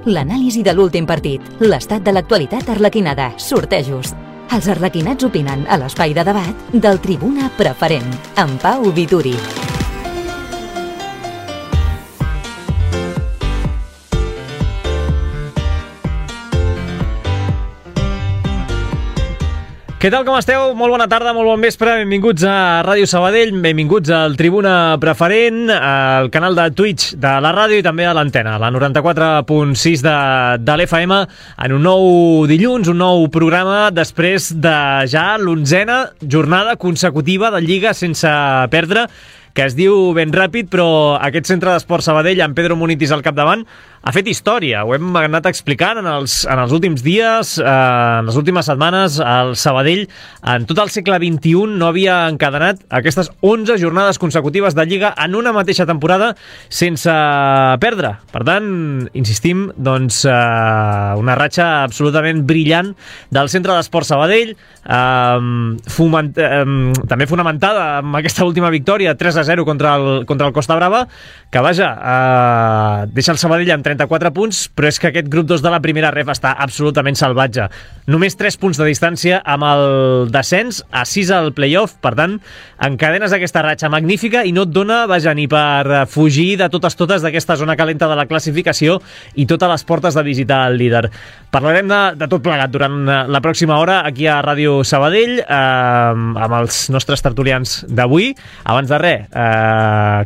l'anàlisi de l'últim partit, l'estat de l'actualitat arlequinada, sortejos. Els arlequinats opinen a l'espai de debat del Tribuna Preferent, amb Pau Vituri. Què tal, com esteu? Molt bona tarda, molt bon vespre, benvinguts a Ràdio Sabadell, benvinguts al Tribuna Preferent, al canal de Twitch de la ràdio i també a l'antena, la 94.6 de l'FM, en un nou dilluns, un nou programa després de ja l'11a jornada consecutiva de Lliga sense perdre, que es diu ben ràpid, però aquest centre d'esport Sabadell, amb Pedro Munitis al capdavant, ha fet història. Ho hem anat explicant en els últims dies, en les últimes setmanes. El Sabadell, en tot el segle XXI, no havia encadenat aquestes 11 jornades consecutives de Lliga en una mateixa temporada sense perdre. Per tant, insistim, doncs, una ratxa absolutament brillant del centre d'esport Sabadell, també fonamentada amb aquesta última victòria, 3-0 contra el Costa Brava, que vaja, deixa el Sabadell amb 34 punts, però és que aquest grup 2 de la primera ref està absolutament salvatge. Només 3 punts de distància amb el descens a 6 al playoff. Per tant, encadenes aquesta ratxa magnífica i no et dona, vaja, ni per fugir de totes d'aquesta zona calenta de la classificació i totes les portes de visitar el líder. Parlarem de tot plegat durant la pròxima hora aquí a Ràdio Sabadell, amb els nostres tertulians d'avui. Abans de res,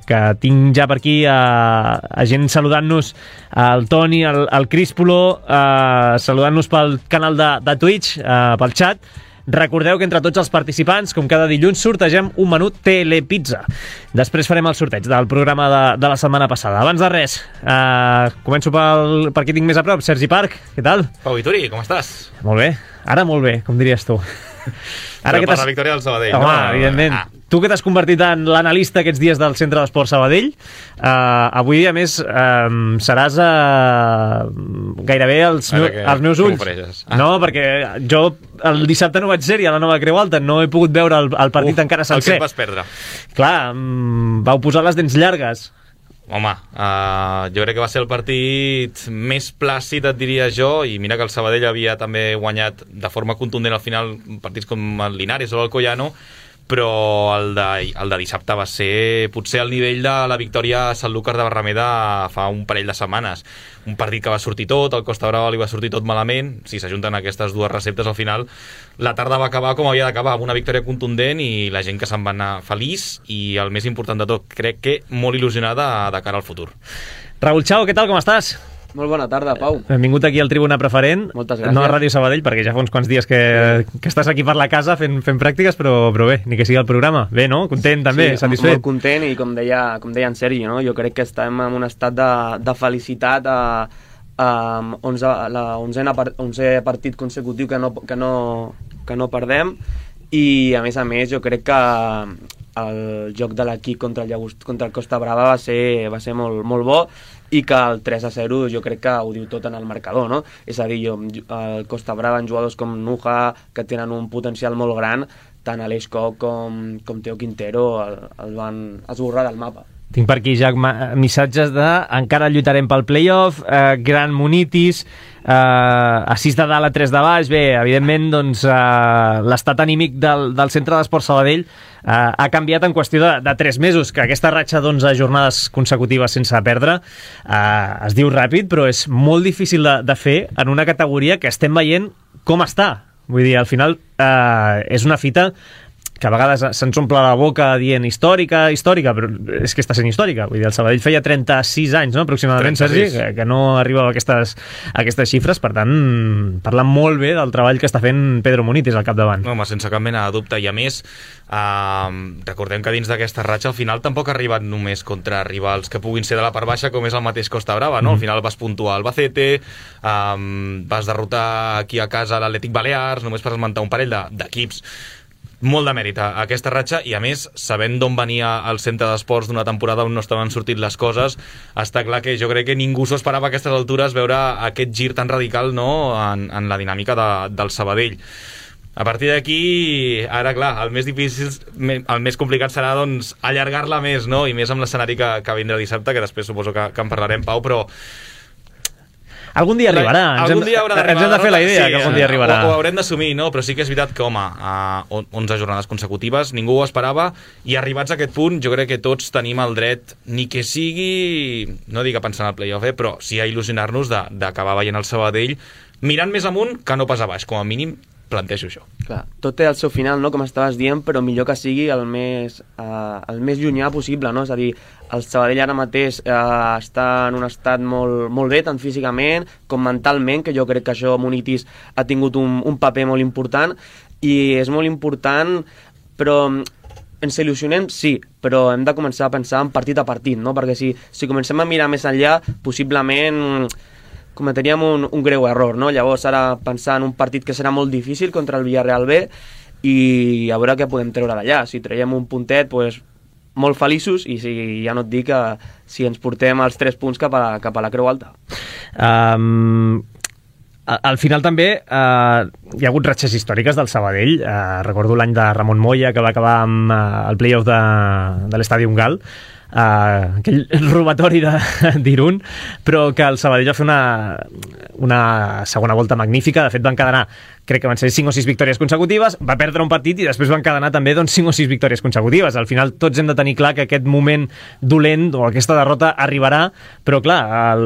que tinc ja per aquí a gent saludant-nos, el Toni, el Críspolo, saludant-nos pel canal de Twitch, pel xat. Recordeu que entre tots els participants, com cada dilluns, sortegem un menú Telepizza. Després farem el sorteig del programa de la setmana passada. Abans de res, començo per qui tinc més a prop. Sergi Parc, què tal? Pau Vituri, com estàs? Molt bé, ara molt bé, com diries tu. Ara per la victòria del Sabadell. Home, no? Evidentment. Tu que t'has convertit en l'analista aquests dies del Centre d'Esport Sabadell, avui, a més, seràs gairebé als meus ulls. No, perquè jo el dissabte no vaig ser-hi a la Nova Creu Alta, no he pogut veure el partit encara sencer. El que et vas perdre. Clar, vau posar les dents llargues. Home, jo crec que va ser el partit més plàcid, et diria jo, i mira que el Sabadell havia també guanyat de forma contundent al final partits com el Linares o l'Alcoyano, però el de dissabte va ser potser al nivell de la victòria a Sanlúcar de Barrameda fa un parell de setmanes. Un partit que va sortir tot, el Costa Brava li va sortir tot malament. Si s'ajunten aquestes dues receptes, al final la tarda va acabar com havia d'acabar, amb una victòria contundent i la gent que se'n va anar feliç i, el més important de tot, crec que molt il·lusionada de cara al futur. Raül Chao, què tal, com estàs? Molt bona tarda, Pau. Benvingut aquí al Tribuna Preferent. Moltes gràcies. No a Ràdio Sabadell, perquè ja fa uns quants dies que estàs aquí per la casa fent pràctiques, però bé, ni que sigui el programa. Bé, no? Content també, sí, satisfet? Molt content i com deia en Sergi, no? Jo crec que estem en un estat de felicitat, l'onzè partit consecutiu que no perdem, i a més jo crec que el joc de l'equip contra el Costa Brava va ser molt bo, i que el 3-0 jo crec que ho diu tot en el marcador, no? És a dir, el Costa Brava en jugadors com Nuja, que tenen un potencial molt gran, tant Aleix Coc com Teo Quintero el van esborrar del mapa. Tinc per aquí ja missatges de encara lluitarem pel playoff, gran Munitis, a 6 de dalt a 3 de baix. Bé, evidentment, doncs, l'estat anímic del Centre d'Esport Sabadell ha canviat en qüestió de 3 mesos, que aquesta ratxa d'11 jornades consecutives sense perdre es diu ràpid, però és molt difícil de fer en una categoria que estem veient com està. Vull dir, al final és una fita que a vegades se'ns omple la boca dient històrica, però és que està sent històrica. Vull dir, el Sabadell feia 36 anys, no?, aproximadament, 36. Sergi, que no arribava a aquestes xifres. Per tant, parlant molt bé del treball que està fent Pedro Munitis al capdavant. Home, sense cap mena de dubte. I a més, recordem que dins d'aquesta ratxa al final tampoc ha arribat només contra rivals que puguin ser de la part baixa, com és el mateix Costa Brava, no? Al final vas puntuar al Albacete, vas derrotar aquí a casa l'Atlètic Balears, només per esmentar un parell d'equips. Molt de mèrit a aquesta ratxa, i a més, sabent d'on venia el centre d'esports d'una temporada on no estaven sortint les coses, està clar que jo crec que ningú s'ho esperava a aquestes altures veure aquest gir tan radical, no?, en la dinàmica del Sabadell. A partir d'aquí, ara clar, el més difícil, el més complicat serà, doncs, allargar-la més, no?, i més amb l'escenari que vindrà dissabte, que després suposo que en parlarem, Pau, però Algun dia arribarà. Algun dia haurà d'arribar. Ens hem de fer la idea que algun dia arribarà. Ho haurem d'assumir, no? Però sí que és veritat que, home, 11 jornades consecutives, ningú ho esperava, i arribats a aquest punt, jo crec que tots tenim el dret, ni que sigui, no dic a pensar en el play-off, però sí a il·lusionar-nos d'acabar veient el Sabadell mirant més amunt que no pas a baix, com a mínim plantejo això. Clar, tot té el seu final, no?, com estaves dient, però millor que sigui el més llunyà possible, no? És a dir, el Sabadell ara mateix està en un estat molt bé, tant físicament com mentalment, que jo crec que això Munitis ha tingut un paper molt important, i és molt important, però ens il·lusionem, sí, però hem de començar a pensar en partit a partit, no? Perquè si comencem a mirar més enllà, possiblement cometríem un greu error, no? Llavors ara pensar en un partit que serà molt difícil contra el Villarreal B i a veure què podem treure d'allà. Si traiem un puntet, doncs molt feliços, i ja no et dic que si ens portem els 3 punts cap a la Creu Alta. Al final també hi ha hagut ratxes històriques del Sabadell. Recordo l'any de Ramon Moya, que va acabar amb el play-off de l'Estadi Ungal, aquell robatori d'Irun, però que el Sabadell va fer una segona volta magnífica. De fet van encadenar, crec que van ser 5 o 6 victòries consecutives, va perdre un partit i després van encadenar també 5 o 6 victòries consecutives. Al final tots hem de tenir clar que aquest moment dolent o aquesta derrota arribarà, però clar,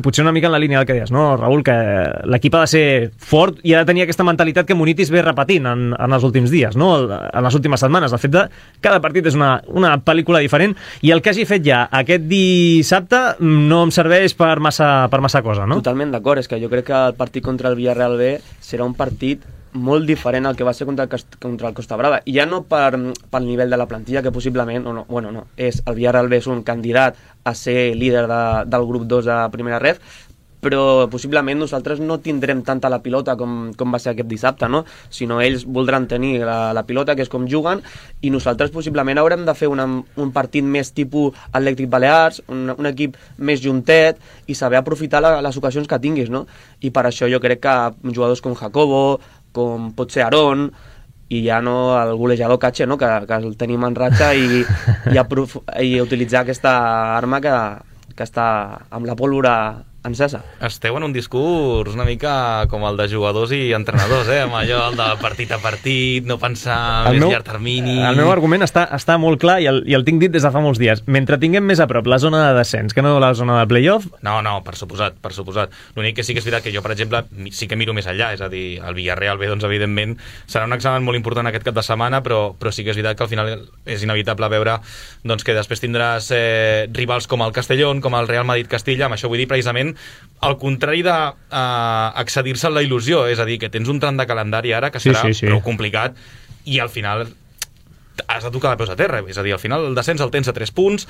potser una mica en la línia del que deies, no, Raül, que l'equip ha de ser fort i ha de tenir aquesta mentalitat que Munitis ve repetint en els últims dies, no? En les últimes setmanes. El fet de cada partit és una pel·lícula diferent, i el que hagi fet ja aquest dissabte no em serveix per massa cosa, no? Totalment d'acord, és que jo crec que el partit contra el Villarreal B serà un partit molt diferent al que va ser contra el Costa Brava, i ja no pel nivell de la plantilla, que possiblement, no, el Villarreal B és un candidat a ser líder del grup 2 de primera ref, però possiblement nosaltres no tindrem tanta la pilota com va ser aquest dissabte, no? Sinó ells voldran tenir la pilota, que és com juguen, i nosaltres possiblement haurem de fer un partit més tipus Atlètic Balears, un equip més juntet, i saber aprofitar les ocasions que tinguis, no? I per això jo crec que jugadors com Jacobo, com pot ser Aarón, i ja no el golejador Cache, no? que el tenim en ratxa, i utilitzar aquesta arma que està amb la pólvora encesa. Esteu en un discurs una mica com el de jugadors i entrenadors, amb allò de partit a partit, no pensar més llarg termini. El meu argument està molt clar i el tinc dit des de fa molts dies. Mentre tinguem més a prop la zona de descens que no la zona de playoff... No, per suposat. L'únic que sí que és veritat que jo, per exemple, sí que miro més enllà, és a dir, el Villarreal B, doncs, evidentment, serà un examen molt important aquest cap de setmana, però sí que és veritat que al final és inevitable veure doncs, que després tindràs rivals com el Castellón, com el Real Madrid Castilla. Amb això vull dir precisament al contrari d'excedir-se en la il·lusió, és a dir, que tens un tram de calendari ara que serà prou complicat, i al final has de tocar de peus a terra, és a dir, al final el descens el tens a 3 punts,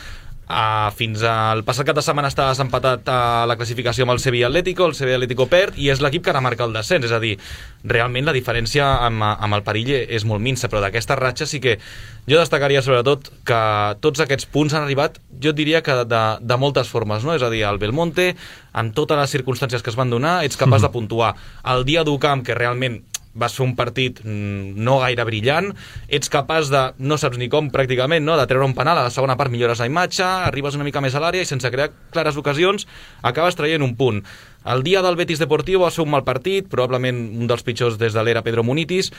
fins al passat cap de setmana estàs empatat a la classificació amb el Sevilla Atlético, el Sevilla Atlético perd, i és l'equip que ara marca el descens, és a dir, realment la diferència amb el perill és molt minsa, però d'aquesta ratxa sí que jo destacaria sobretot que tots aquests punts han arribat, jo diria que de moltes formes, no? És a dir, al Belmonte, amb totes les circumstàncies que es van donar, ets capaç de puntuar. El dia d'Ucamp, que realment vas fer un partit no gaire brillant, ets capaç de, no saps ni com pràcticament, no? De treure un penal, a la segona part millores la imatge, arribes una mica més a l'àrea i sense crear clares ocasions acabes traient un punt. El dia del Betis Deportivo va ser un mal partit, probablement un dels pitjors des de l'era Pedro Munitis,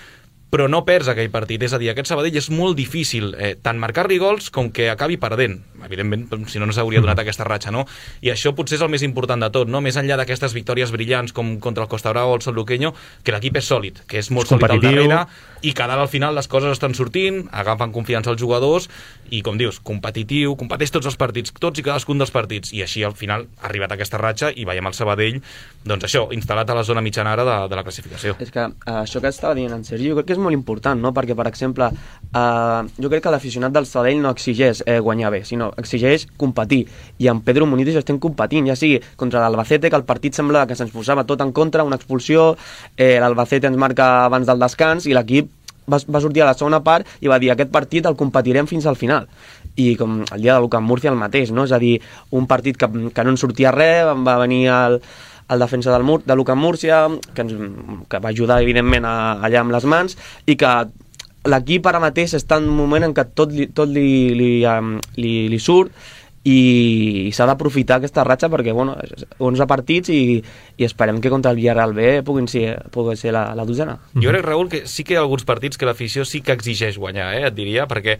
però no perds aquell partit, és a dir, aquest Sabadell és molt difícil tant marcar-li gols com que acabi perdent, evidentment, si no s'hauria donat aquesta ratxa, no? I això potser és el més important de tot, no? Més enllà d'aquestes victòries brillants com contra el Costa Brava o el Sanluqueño, que l'equip és sòlid, que és molt sòlid al darrere, i que al final les coses estan sortint, agafen confiança als jugadors, i com dius, competitiu, competeix tots els partits, tots i cadascun dels partits, i així al final ha arribat aquesta ratxa i veiem el Sabadell, doncs això, instal·lat a la zona mitjana ara de la classificació. És que això que estava dient en Sergi, jo crec que és molt important, no? Perquè, per exemple, jo crec que l'aficionat del Sabadell no exigeix guanyar bé, sinó exigeix competir, i amb Pedro Munitis estem competint, ja sigui contra l'Albacete, que el partit sembla que se'ns posava tot en contra, una expulsió, l'Albacete ens marca abans del descans, i l'equip va sortir a la segona part i va dir aquest partit el competirem fins al final, i com el dia de l'Ucamp Múrcia el mateix, no? És a dir, un partit que no en sortia res, va venir el defensa de l'Ucamp Múrcia, que va ajudar evidentment allà amb les mans, i que l'equip ara mateix està en un moment en què tot li surt, i s'ha d'aprofitar aquesta ratxa perquè, 11 partits i esperem que contra el Villarreal B pugui ser la 12a. Jo crec, Raül, que sí que hi ha alguns partits que l'afició sí que exigeix guanyar, et diria, perquè,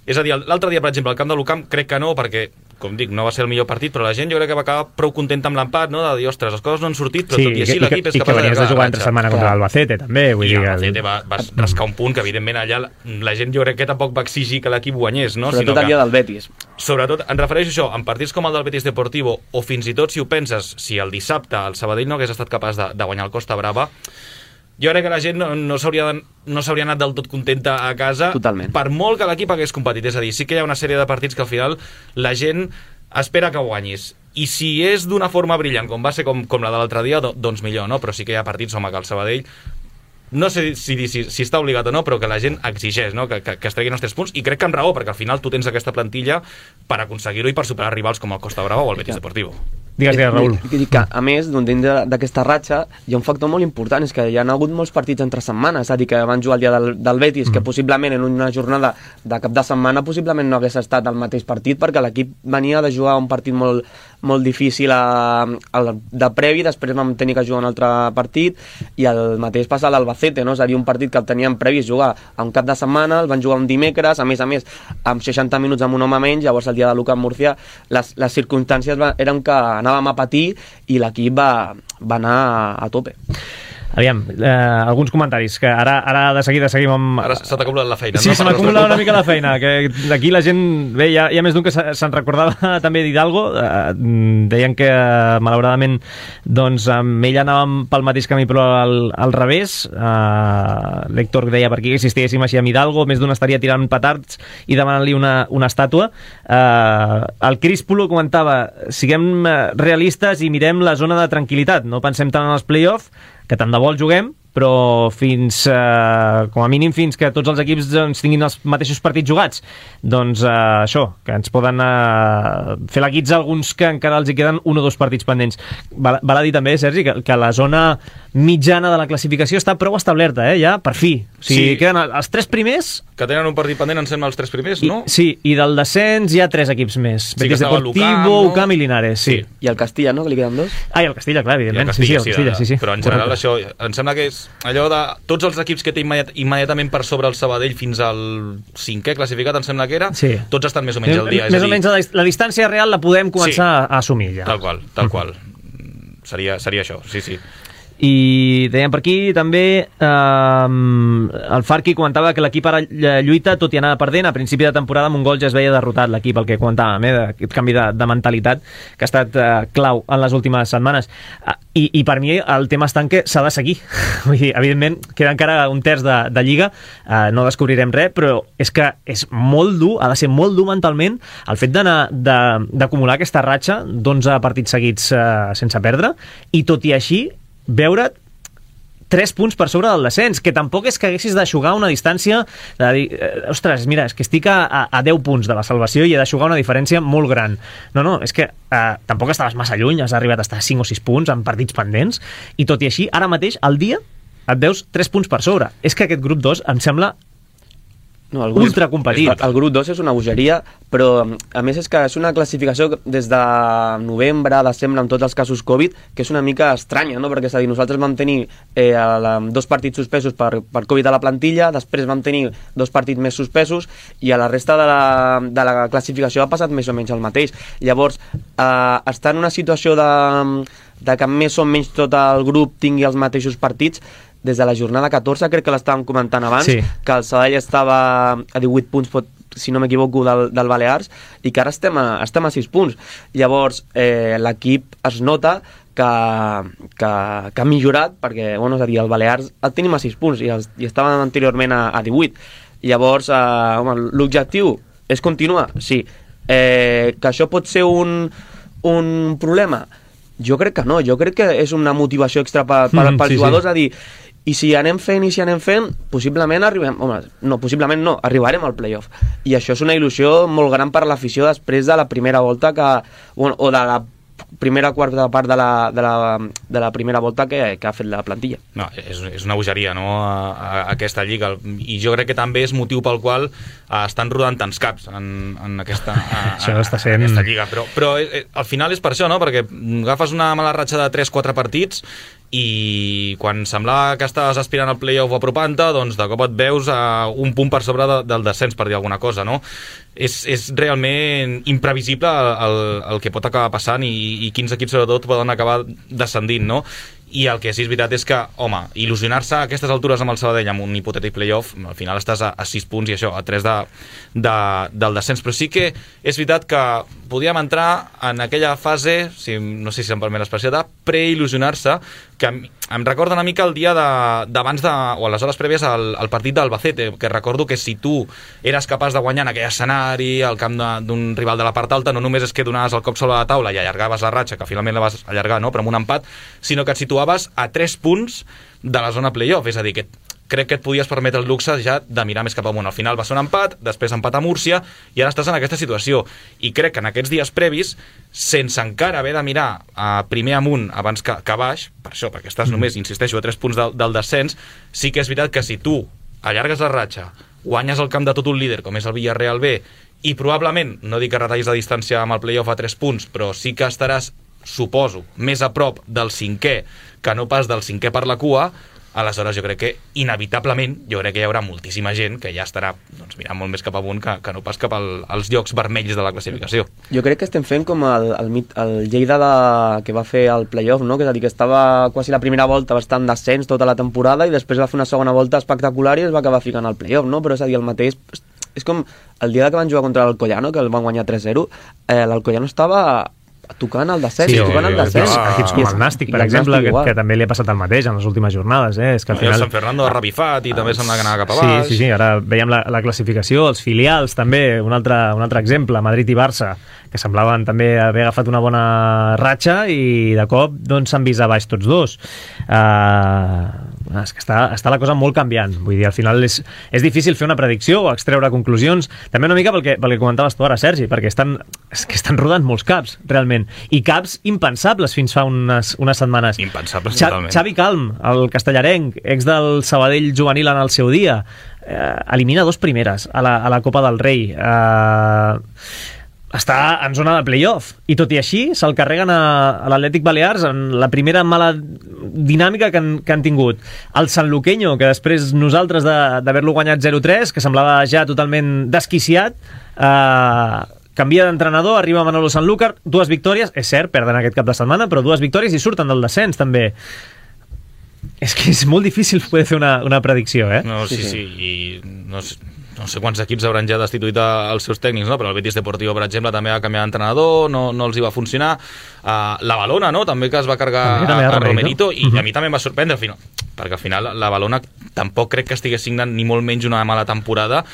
és a dir, l'altre dia, per exemple, al camp de l'Ucamp crec que no, perquè, com dic, no va ser el millor partit, però la gent jo crec que va acabar prou contenta amb l'empat, no? De dir, ostres, les coses no han sortit, però tot i així l'equip és capaç de... I que venies de jugar entre setmana contra l'Albacete, també. I l'Albacete va rascar un punt que, evidentment, allà la gent jo crec que tampoc va exigir que l'equip guanyés, no? Sobretot el dia del Betis. Sobretot, em refereixo a això, en partits com el del Betis Deportivo, o fins i tot, si ho penses, si el dissabte el Sabadell no hagués estat capaç de guanyar el Costa Brava, jo crec que la gent no s'hauria anat del tot contenta a casa. Totalment. Per molt que l'equip hagués competit. És a dir, sí que hi ha una sèrie de partits que al final la gent espera que guanyis. I si és d'una forma brillant, com va ser com la de l'altre dia, doncs millor, no? Però sí que hi ha partits, home, que el Sabadell no sé si està obligat o no, però que la gent exigeix, no? que es treguin els 3 punts, i crec que amb raó, perquè al final tu tens aquesta plantilla per aconseguir-ho i per superar rivals com el Costa Brava o el Betis Deportivo. Digues, Raül. Que, a més, dins d'aquesta ratxa hi ha un factor molt important, és que hi ha hagut molts partits entre setmanes, és a dir, que van jugar el dia del Betis, que possiblement en una jornada de cap de setmana possiblement no hagués estat el mateix partit, perquè l'equip venia de jugar un partit molt difícil de previ, després vam tenir que jugar un altre partit, i el mateix passa a l'Albacete, no? És a dir, un partit que el teníem previst jugar a un cap de setmana, el van jugar un dimecres, a més, amb 60 minuts amb un home menys, llavors el dia de l'Ucamp Murcia, les circumstàncies eren que anàvem a patir i l'equip va anar a tope. Aviam, alguns comentaris, que ara de seguida seguim amb... Ara s'ha acumulat la feina. Sí, se m'ha acumulat una mica la feina, que aquí la gent... Bé, hi ha més d'un que se'n recordava també d'Hidalgo, deien que malauradament doncs amb ell anàvem pel mateix camí però al revés. L'Héctor deia per aquí que si estiguéssim així amb Hidalgo, més d'un estaria tirant petards i demanant-li una estàtua. El Cris Pulo comentava, siguem realistes i mirem la zona de tranquil·litat, no pensem tant en els play-off, que tant de bo el juguem, però com a mínim fins que tots els equips tinguin els mateixos partits jugats, doncs això, que ens poden fer la guitza alguns que encara els hi queden 1 o 2 partits pendents. Val a dir també, Sergi, que la zona mitjana de la classificació està prou establerta, ja, per fi. O sigui, queden els 3 primers... Que tenen un partit pendent, em sembla, els 3 primers, no? Sí, i del descens hi ha 3 equips més. Betis Deportivo, Ucamp i Linares, sí. I el Castilla, no?, que li queden 2. I el Castilla, clar, evidentment. Sí, però en general això, em sembla que és allò de tots els equips que té immediatament per sobre el Sabadell fins al 5è classificat, em sembla que era, tots estan més o menys al dia. Més o menys la distància real la podem començar a assumir ja. Tal qual. Seria això, sí. I dèiem per aquí també el Farqui comentava que l'equip ara lluita tot i anar perdent. A principi de temporada amb un gol ja es veia derrotat l'equip, el que comentàvem, d'aquest canvi de mentalitat que ha estat clau en les últimes setmanes. I per mi el tema està en que s'ha de seguir. Vull dir, evidentment queda encara un terç de Lliga, no descobrirem res, però és que és molt dur, ha de ser molt dur mentalment el fet d'acumular aquesta ratxa d'11 partits seguits sense perdre, i tot i així veure't 3 punts per sobre del descens, que tampoc és que haguessis d'aixugar una distància de dir, ostres, mira, és que estic a 10 punts de la salvació i he d'aixugar una diferència molt gran. No, és que tampoc estaves massa lluny, has arribat a estar 5 o 6 punts en partits pendents, i tot i així, ara mateix, al dia, et veus 3 punts per sobre. És que aquest grup 2 em sembla ultra competit. El grup 2 és una bogeria, però a més és que és una classificació des de novembre, desembre, amb tots els casos Covid, que és una mica estranya, no? Perquè és a dir, nosaltres vam tenir 2 partits suspesos per Covid a la plantilla, després vam tenir 2 partits més suspesos, i a la resta de la classificació ha passat més o menys el mateix. Llavors, estar en una situació de que més o menys tot el grup tingui els mateixos partits, des de la jornada 14, crec que l'estàvem comentant abans, que el Sabadell estava a 18 punts, si no m'equivoco, del Balears, i que ara estem a 6 punts. Llavors, l'equip es nota que ha millorat, perquè, és a dir, el Balears el tenim a 6 punts i estàvem anteriorment a 18. Llavors, l'objectiu és continuar, sí. Que això pot ser un problema? Jo crec que no, jo crec que és una motivació extra pels jugadors, a dir, i si anem fent, possiblement arribarem al playoff. I això és una il·lusió molt gran per a l'afició després de la primera volta o de la primera quarta part de la primera volta que ha fet la plantilla. No, és una bogeria, no?, a aquesta lliga, i jo crec que també és motiu pel qual estan rodant tants caps en aquesta lliga, però al final és per això, no?, perquè agafes una mala ratxa de 3-4 partits i quan semblava que estaves aspirant al play-off o apropant-te, doncs de cop et veus un punt per sobre del descens, per dir alguna cosa, no? És realment imprevisible el que pot acabar passant i quins equips sobretot poden acabar descendint, no? I el que sí és veritat és que, home, il·lusionar-se a aquestes altures amb el Sabadell amb un hipotètic play-off, al final estàs a 6 punts i això, a 3 del descens, però sí que és veritat que podíem entrar en aquella fase, no sé si em permet l'expressió, de pre-il·lusionar-se, que em recorda una mica el dia d'abans o a les hores prèvies al partit d'Albacete, que recordo que si tu eres capaç de guanyar en aquell escenari, al camp d'un rival de la part alta, no només és que donaves el cop sobre la taula i allargaves la ratxa, que finalment la vas allargar, no?, però amb un empat, sinó que et situaves a 3 punts de la zona play-off, és a dir, que crec que et podies permetre el luxe ja de mirar més cap amunt. Al final va ser un empat, després empat a Múrcia, i ara estàs en aquesta situació. I crec que en aquests dies previs, sense encara haver de mirar primer amunt abans que baix, per això, perquè estàs només, insisteixo, a 3 punts del descens, sí que és veritat que si tu allargues la ratxa, guanyes el camp de tot un líder, com és el Villarreal B, i probablement, no dic que retallis la distància amb el play-off a 3 punts, però sí que estaràs, suposo, més a prop del 5è que no pas del 5è per la cua, aleshores jo crec que inevitablement hi haurà moltíssima gent que ja estarà mirant molt més cap amunt que no pas cap als llocs vermells de la classificació. Jo crec que estem fent com el Lleida que va fer el play-off, no? Que és a dir, que estava quasi la primera volta bastant descens tota la temporada i després va fer una segona volta espectacular i es va acabar ficant al play-off, no? Però és a dir, el mateix és com el dia que van jugar contra l'Alcoyano, que el van guanyar 3-0, l'Alcoyano estava tocant el descens, tocant el descens. Equips com el Nàstic, per exemple, que també li ha passat el mateix en les últimes jornades. És que al final... El Sant Fernando ha revifat i també sembla que anava cap a baix. Sí, ara veiem la classificació, els filials també, un altre exemple, Madrid i Barça, que semblaven també haver agafat una bona ratxa i de cop s'han vist a baix tots dos. És que està la cosa molt canviant. Vull dir, al final és difícil fer una predicció o extreure conclusions, també una mica pel que comentaves tu ara, Sergi, perquè estan rodant molts caps, realment, i caps impensables fins fa unes setmanes. Impensables, totalment. Xavi Calm, el castellarenc, ex del Sabadell juvenil en el seu dia, elimina 2 primeres a la Copa del Rei, està en zona de play-off, i tot i així se'l carreguen a l'Atlètic Balears en la primera mala dinàmica que han tingut. El Sanluqueño, que després nosaltres d'haver-lo guanyat 0-3, que semblava ja totalment desquiciat, canvia d'entrenador, arriba Manolo Sanlúcar, 2 victòries, és cert, perden aquest cap de setmana, però 2 victòries i surten del descens també. És que és molt difícil poder fer una predicció, eh? No, sí, i no sé quants equips hauran ja destituït els seus tècnics, no? Però el Betis Deportivo, per exemple, també va canviar d'entrenador, no els hi va funcionar. La Valona, no?, també, que es va carregar a Romerito, i a mi també em va sorprendre, perquè al final la Valona tampoc crec que estigués signant ni molt menys una mala temporada,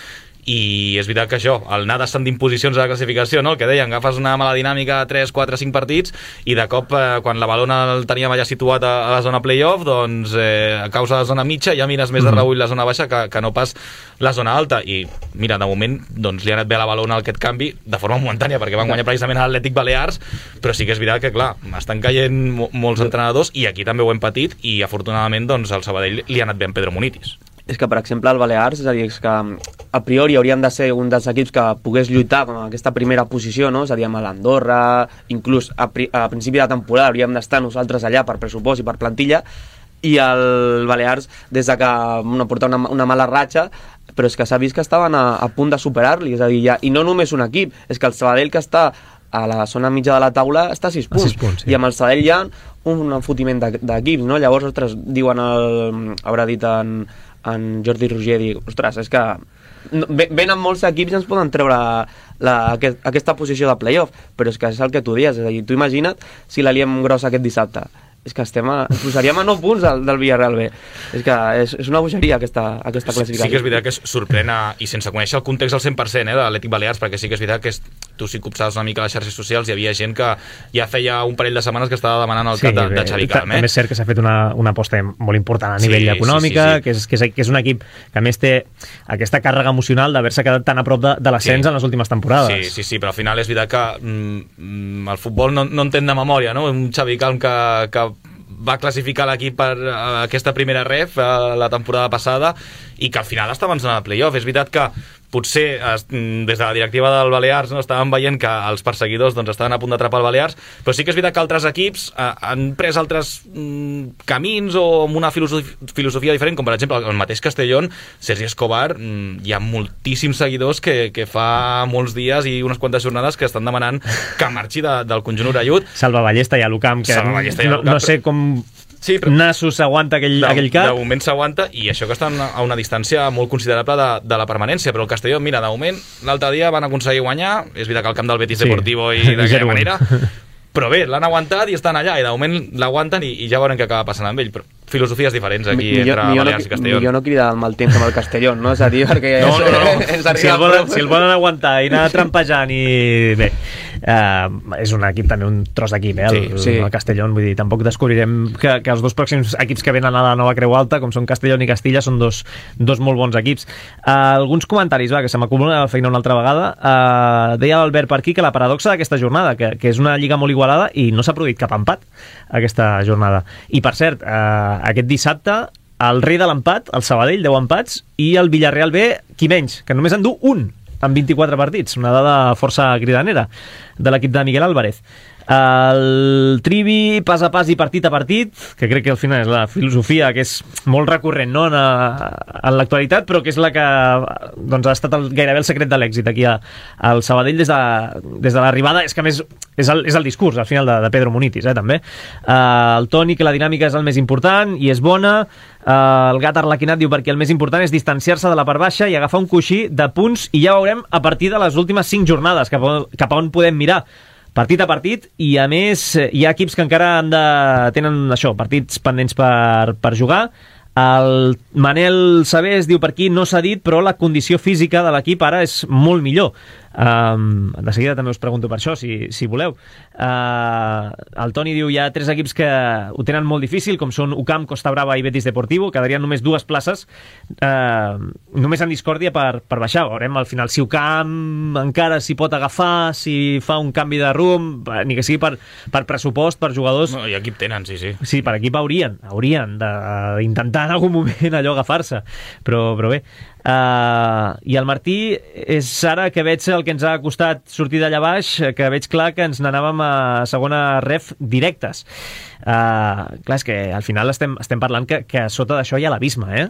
i és veritat que això, el anar descendint posicions a la classificació, no?, el que deien, agafes una mala dinàmica a 3, 4, 5 partits i de cop, quan la Valona el teníem allà situat a la zona play-off, doncs a causa de la zona mitja ja mires més de reull la zona baixa que no pas la zona alta, i mira, de moment doncs li ha anat bé a la Valona aquest canvi de forma momentània, perquè van guanyar precisament a l'Atlètic Balears, però sí que és veritat que, clar, estan caient molts entrenadors, i aquí també ho hem patit, i afortunadament doncs al Sabadell li ha anat bé amb Pedro Munitis. És que, per exemple, el Balears, és a dir, que a priori hauríem de ser un dels equips que pogués lluitar com aquesta primera posició, no? És a dir, amb l'Andorra, inclús a principi de temporada hauríem d'estar nosaltres allà per pressupost i per plantilla, i el Balears, des de que porta una mala ratxa, però és que s'ha vist que estaven a punt de superar-li, és a dir, i no només un equip, és que el Sabadell, que està a la zona mitja de la taula, està a 6 punts, sí. I amb el Sabadell hi ha un enfotiment d'equips, no? Llavors, ostres, haurà dit en Jordi Roger, ostres, és que venen molts equips i ens poden treure aquesta posició de play-off, però és que és el que tu dies, és a dir, tu imagina't si la liem grossa aquest dissabte és que ens posaríem a 9 punts del Villarreal B. És que és una bogeria aquesta classificació. Sí que és veritat que sorprèn, i sense conèixer el context al 100%, de l'Atlètic Balears, perquè sí que és veritat que tu si copsaves una mica les xarxes socials, hi havia gent que ja feia un parell de setmanes que estava demanant el cap de Xavi Calm. També és cert que s'ha fet una aposta molt important a nivell econòmica, que és un equip que a més té aquesta càrrega emocional d'haver-se quedat tan a prop de l'ascens en les últimes temporades. Sí, però al final és veritat que el futbol no entén de memòria, no? Un Xavi Calm que va classificar l'equip per aquesta primera ref la temporada passada i que al final estava en zona de playoff. És veritat que potser des de la directiva del Balears estàvem veient que els perseguidors estaven a punt d'atrapar el Balears, però sí que és veritat que altres equips han pres altres camins o amb una filosofia diferent, com per exemple el mateix Castellón. Sergi Escobar, hi ha moltíssims seguidors que fa molts dies i unes quantes jornades que estan demanant que marxi del conjunt orellut. Salva Ballesta i Alucam, que no sé com Nassos s'aguanta aquell cap. De moment s'aguanta, i això que estan a una distància molt considerable de la permanència, però el Castelló, mira, de moment l'altre dia van aconseguir guanyar, és veritat que al camp del Betis Deportivo i d'aquella manera, però bé, l'han aguantat i estan allà, i de moment l'aguanten i ja veurem què acaba passant amb ell. Però filosofies diferents aquí entre Balears i Castelló. Millor no cridar el mal temps amb el Castelló, no? És a dir, perquè si el volen aguantar i anar trampejant i bé, és un equip, també un tros d'equip, el Castelló. Vull dir, tampoc descobrirem que els dos pròxims equips que venen a la nova Creu Alta, com són Castelló i Castilla, són dos molt bons equips. Alguns comentaris, que se m'acumulen a la feina una altra vegada. Deia l'Albert per aquí que la paradoxa d'aquesta jornada, que és una lliga molt igualada i no s'ha produït cap empat aquesta jornada. I per cert, aquest dissabte el rei de l'empat, el Sabadell, 10 empats, i el Villarreal B, qui menys, que només en du un en 24 partits, una dada força cridanera de l'equip de Miguel Álvarez. El Trivi, pas a pas i partit a partit, que crec que al final és la filosofia que és molt recurrent, no? en l'actualitat, però que és la que ha estat gairebé el secret de l'èxit aquí al Sabadell des de l'arribada. És que a més és el discurs al final de Pedro Munitis, també. El Toni, que la dinàmica és el més important i és bona. El Gat Arlequinat diu perquè el més important és distanciar-se de la part baixa i agafar un coixí de punts, i ja veurem a partir de les últimes 5 jornades cap a on podem mirar partit a partit. I a més hi ha equips que encara tenen això, partits pendents per jugar. El Manel Sabés diu per aquí, no s'ha dit, però la condició física de l'equip ara és molt millor. De seguida també us pregunto per això, si voleu. El Toni diu hi ha 3 equips que ho tenen molt difícil, com són UCAM, Costa Brava i Betis Deportivo. Quedarien només 2 places, només en discòrdia per baixar. Veurem al final si UCAM encara s'hi pot agafar, si fa un canvi de rumb, ni que sigui per pressupost, per jugadors. No, i equip tenen, sí. Sí, per equip haurien d'intentar en algun moment allò agafar-se, però bé. I el Martí és ara que veig el que ens ha costat sortir d'allà baix, que veig clar que ens n'anàvem a segona ref directes. Clar, és que al final estem parlant que sota d'això hi ha l'abisme,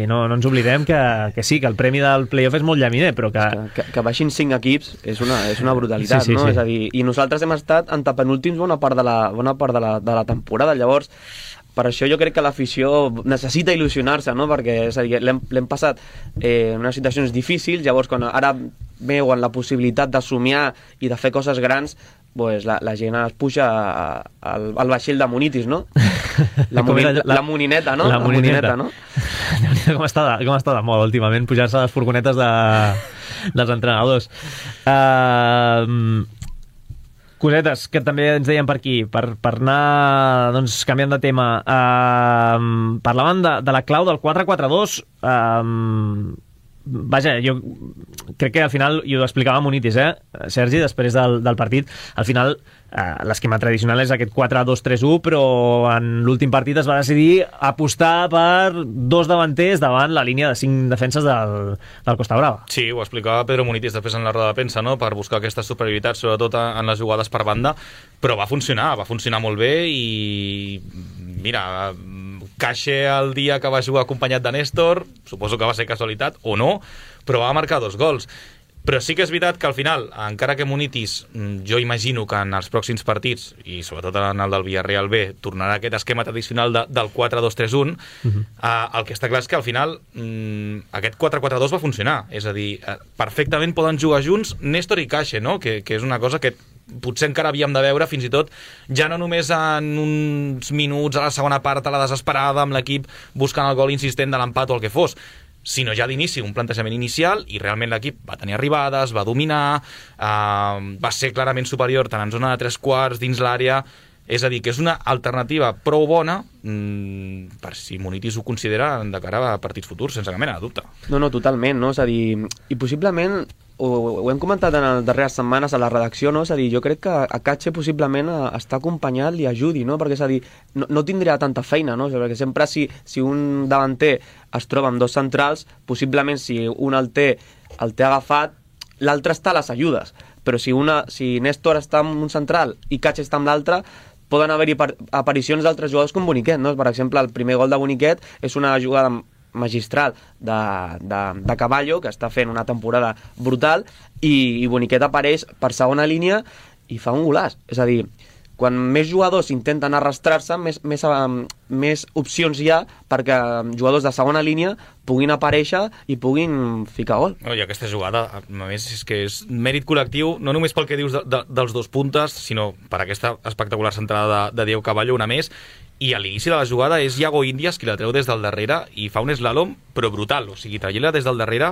no ens oblidem que sí, que el premi del playoff és molt llaminer, però que baixin 5 equips és una brutalitat, sí. És a dir, i nosaltres hem estat antepenúltims bona part de la temporada. Llavors, per això jo crec que l'afició necessita il·lusionar-se, no? Perquè és a dir, l'hem passat en unes situacions difícils. Llavors, quan ara veuen la possibilitat de somiar i de fer coses grans, pues la gent es puja al vaixell de Munitis, no? La monineta, no? La monineta, no? Com està de moda últimament pujar-se a les furgonetes dels entrenadors. Cosetes que també ens deien per aquí, per anar canviant de tema. Parlaven de la clau del 4-4-2. Vaja, jo crec que al final, i ho explicava Munitis, Sergi, després del partit, al final l'esquema tradicional és aquest 4-2-3-1, però en l'últim partit es va decidir apostar per 2 davanters davant la línia de 5 defenses del Costa Brava. Sí, ho explicava Pedro Munitis després en la roda de premsa, no? Per buscar aquesta superioritat, sobretot en les jugades per banda, però va funcionar molt bé. I mira, Caixe el dia que va jugar acompanyat de Néstor, suposo que va ser casualitat o no, però va marcar 2 gols. Però sí que és veritat que al final, encara que Munitis, jo imagino que en els pròxims partits, i sobretot en el del Villarreal B, tornarà aquest esquema tradicional del 4-2-3-1, el que està clar és que al final aquest 4-4-2 va funcionar. És a dir, perfectament poden jugar junts Néstor i Caixe, no? Que és una cosa que potser encara havíem de veure, fins i tot, ja no només en uns minuts a la segona part a la desesperada, amb l'equip buscant el gol insistent de l'empat o el que fos, sinó ja d'inici, un plantejament inicial, i realment l'equip va tenir arribades, va dominar, va ser clarament superior tant en zona de 3/4 dins l'àrea. És a dir, que és una alternativa prou bona per si Munitis ho considera de cara a partits futurs, sense cap mena de dubte. No, totalment, no? És a dir, i possiblement, ho hem comentat en les darreres setmanes a la redacció, no? És a dir, jo crec que a Cache possiblement està acompanyat li ajudi, no? Perquè és a dir, no tindria tanta feina, no? Perquè sempre si un davanter es troba amb dos centrals, possiblement si un el té agafat, l'altre està a les ajudes. Però si Néstor està amb un central i Cache està amb l'altre, poden haver-hi aparicions d'altres jugadors com Boniquet, no? Per exemple, el primer gol de Boniquet és una jugada magistral de Caballo, que està fent una temporada brutal, i Boniquet apareix per segona línia i fa un golaç. És a dir, quan més jugadors intenten arrastrar-se, més opcions hi ha perquè jugadors de segona línia puguin aparèixer i puguin ficar gol. I aquesta jugada, a més, és que és mèrit col·lectiu, no només pel que dius dels dos puntes, sinó per aquesta espectacular centrada de Diego Caballo, una més, i a l'inici de la jugada és Iago Índias qui la treu des del darrere i fa un slalom, però brutal, o sigui, traient-la des del darrere,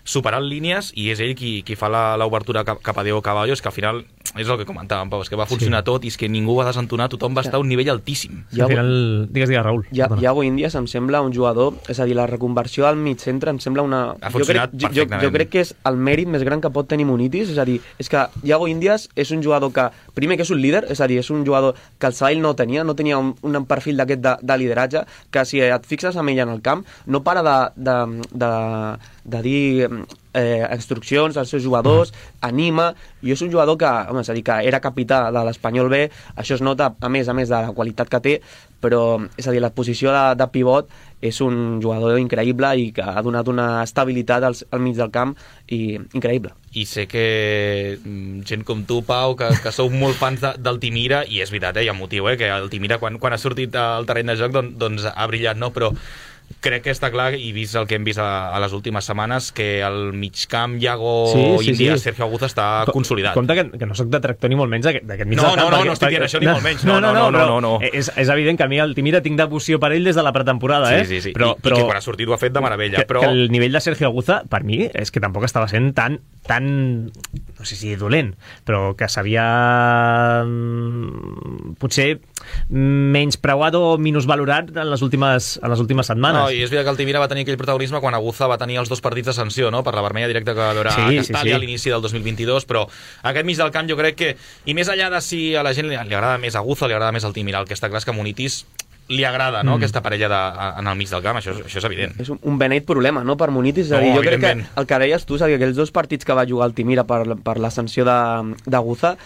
superant línies, i és ell qui fa l'obertura cap a Diego Caballo. És que al final, és el que comentàvem, Pau, és que va funcionar tot, i és que ningú va desentonar, tothom va estar a un nivell altíssim. Al final, digues, Raül. Iago Índias em sembla un jugador, és a dir, la reconversió al mig centre em sembla una... Ha funcionat perfectament. Jo crec que és el mèrit més gran que pot tenir Munitis, és a dir, és que Iago Índias és un jugador que, primer, que és un líder, és a dir, és un jugador que el Sabadell no tenia un perfil d'aquest de lideratge, que si et fixes amb ell en el camp, no para de dir instruccions als seus jugadors, anima, i és un jugador que, home, és a dir, que era capità de l'Espanyol B, això es nota a més de la qualitat que té, però, és a dir, la posició de pivot és un jugador increïble i que ha donat una estabilitat al mig del camp i increïble. I sé que gent com tu, Pau, que sou molt fans del Timira, i és veritat, hi ha motiu, que el Timira quan ha sortit al terreny de joc doncs ha brillat, no? Però crec que està clar, i vist el que hem vist a les últimes setmanes, que el migcamp Iago Índias, Sergio Aguza està consolidat. Compte que no soc detractor ni molt menys d'aquest mig camp. No estic dient això ni molt menys. No. És evident que a mi el Timira tinc devoció per ell des de la pretemporada. Sí. Però, I que quan ha sortit ho ha fet de meravella. Que el nivell de Sergio Aguza, per mi, és que tampoc estava sent tan no sé si dolent, però que s'havia potser menyspreuat o minusvalorat en les últimes setmanes. No, i és veritat que el Timira va tenir aquell protagonisme quan Aguza va tenir els dos partits de sanció, no? Per la vermella directa que va veure a Castàlia a l'inici del 2022, però aquest mig del camp jo crec que, i més enllà de si a la gent li agrada més Aguza, li agrada més el Timira, el que està clar és que Munitis li agrada, no?, aquesta parella en el mig del camp, això és evident. És un beneit problema, no?, per Munitis. És a dir, jo crec que el que deies tu, és a dir, aquells dos partits que va jugar el Timira per la sanció d'Aguza,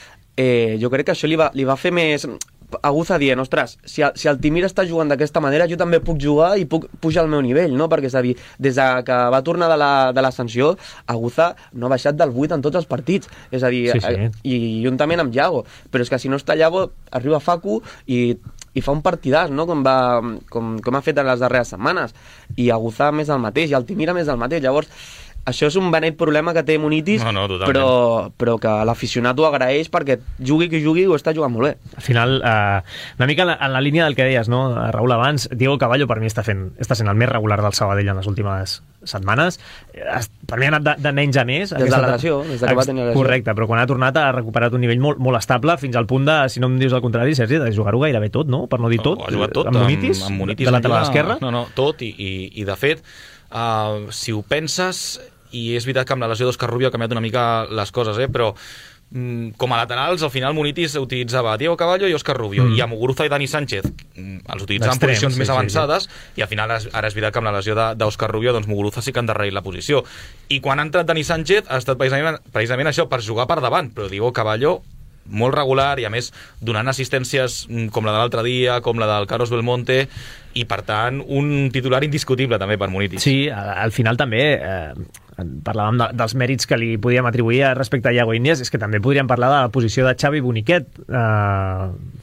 jo crec que això li va fer més... Aguza dient, ostres, si el Timira està jugant d'aquesta manera, jo també puc jugar i puc pujar al meu nivell, no? Perquè, és a dir, des que va tornar de la sanció, Aguza no ha baixat del 8 en tots els partits. És a dir, i juntament amb Iago. Però és que si no està Iago, arriba Facu i fa un partidàs, no?, com ha fet en les darreres setmanes. I Aguza més del mateix, i el Timira més del mateix. Llavors, això és un beneit problema que té Munitis, però que l'aficionat ho agraeix perquè jugui qui jugui ho està jugant molt bé. Al final, una mica en la línia del que deies, no, Raül, abans, Diego Caballo per mi està sent el més regular del Sabadell en les últimes setmanes. Per mi ha anat de menys a més. Des de la lesió, des que va tenir la lesió. Correcte, però quan ha tornat ha recuperat un nivell molt estable, fins al punt de, si no em dius el contrari, Sergi, de jugar-ho gairebé tot, no? Per no dir tot. Ha jugat tot. Amb Munitis, de lateral esquerra. No, tot, i de fet, si ho penses, i és veritat que amb la lesió d'Òscar Rubio ha canviat una mica les coses, però com a laterals, al final Munitis utilitzava Diego Caballo i Òscar Rubio, i a Muguruza i Dani Sánchez els utilitzava en posicions més avançades, i al final ara és veritat que amb la lesió d'Òscar Rubio, doncs Muguruza sí que ha endarrerit la posició. I quan ha entrat Dani Sánchez ha estat precisament això, per jugar per davant, però Diego Caballo molt regular, i a més donant assistències com la de l'altre dia, com la del Carlos Belmonte, i per tant un titular indiscutible també per Munitis. Sí, al final també parlàvem dels mèrits que li podíem atribuir respecte a Iago Índies, és que també podríem parlar de la posició de Xavi Boniquet,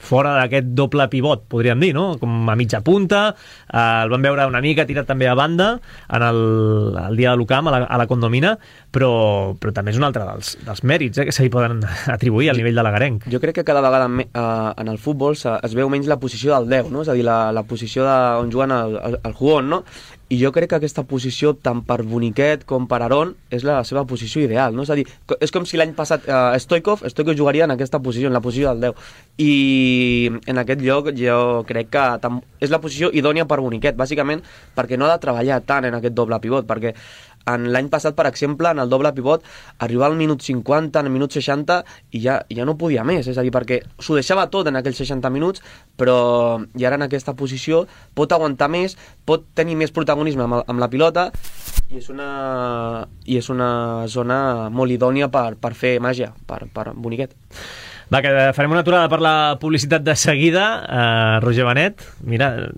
fora d'aquest doble pivot, podríem dir, no? Com a mitja punta, el vam veure una mica tirat també a banda en el dia de l'UCAM, a la Condomina, però també és un altre dels mèrits que se li poden atribuir al nivell de l'agarenc. Jo crec que cada vegada en el futbol es veu menys la posició del 10, no? És a dir, la posició on juguen el jugón, no? I jo crec que aquesta posició, tant per Boniquet com per Aarón, és la seva posició ideal, no? És a dir, és com si l'any passat Stoikov jugaria en aquesta posició, en la posició del 10. I en aquest lloc jo crec que és la posició idònia per Boniquet, bàsicament perquè no ha de treballar tant en aquest doble pivot, perquè l'any passat, per exemple, en el doble pivot, arribar al minut 50, al minut 60, i ja no podia més, és a dir, perquè s'ho deixava tot en aquells 60 minuts, però i ara en aquesta posició pot aguantar més, pot tenir més protagonisme amb la pilota, i és una zona molt idònia per fer màgia, per Boniquet. Va, que farem una aturada per la publicitat de seguida. Roger Benet, mira,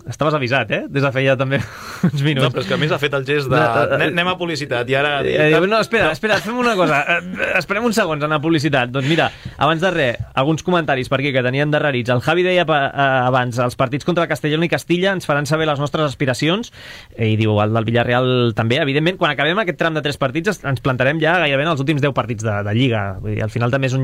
estaves avisat, des de feia també uns minuts. No, però és que a més ha fet el gest de anem a publicitat i ara... No, espera, fem una cosa. Esperem uns segons en la publicitat. Doncs mira, abans de res, alguns comentaris per aquí que tenien darrerits. El Javi deia abans, els partits contra Castellón i Castilla ens faran saber les nostres aspiracions, i diu, el del Villarreal també. Evidentment, quan acabem aquest tram de 3 partits ens plantarem ja gairebé en els últims 10 partits de Lliga. Vull dir, al final també és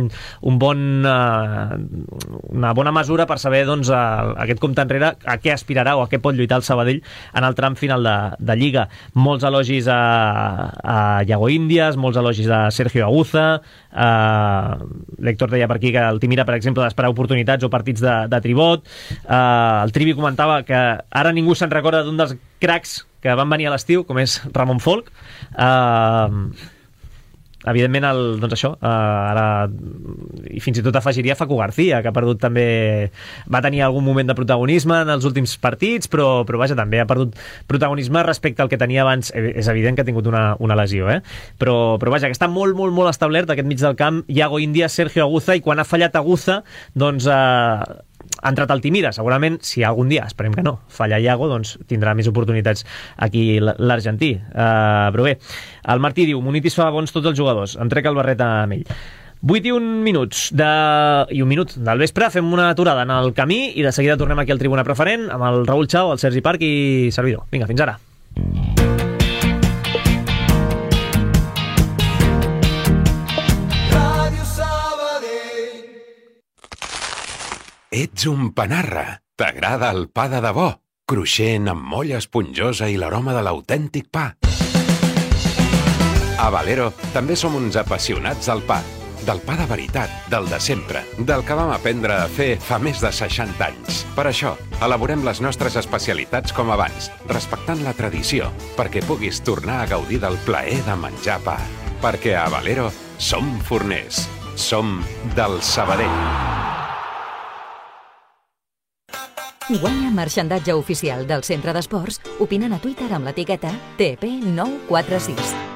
una bona mesura per saber, doncs, aquest compte enrere a què aspirarà o a què pot lluitar el Sabadell en el tram final de Lliga. Molts elogis a Iago Índies, molts elogis a Sergio Aguza. L'Héctor deia per aquí que el Timira, per exemple, d'esperar oportunitats o partits de tribot. El Trivi comentava que ara ningú se'n recorda d'un dels cracs que van venir a l'estiu, com és Ramon Folk. Evidentment, doncs això, ara, i fins i tot afegiria Facu García, que ha perdut també, va tenir algun moment de protagonisme en els últims partits, però vaja, també ha perdut protagonisme respecte al que tenia abans. És evident que ha tingut una lesió, però vaja, que està molt, molt, molt establert aquest mig del camp, Iago Índies, Sergio Aguza, i quan ha fallat Aguza, doncs ha entrat al Timira. Segurament, si algun dia, esperem que no, falla Iago, doncs tindrà més oportunitats aquí l'argentí. Però bé, el Martí diu, Munitis fa bons tots els jugadors, em trec el barret amb ell. 8 i 1 minuts i un minut del vespre, fem una aturada en el camí i de seguida tornem aquí al Tribuna Preferent amb el Raül Chao, el Sergi Parc i servidor. Vinga, fins ara. Ets un panarra. T'agrada el pa de debò, cruixent amb molla esponjosa i l'aroma de l'autèntic pa. A Valero també som uns apassionats del pa. Del pa de veritat, del de sempre, del que vam aprendre a fer fa més de 60 anys. Per això, elaborem les nostres especialitats com abans, respectant la tradició, perquè puguis tornar a gaudir del plaer de menjar pa. Perquè a Valero som forners. Som del Sabadell. Guanya marxandatge oficial del Centre d'Esports opinant a Twitter amb l'etiqueta TP946.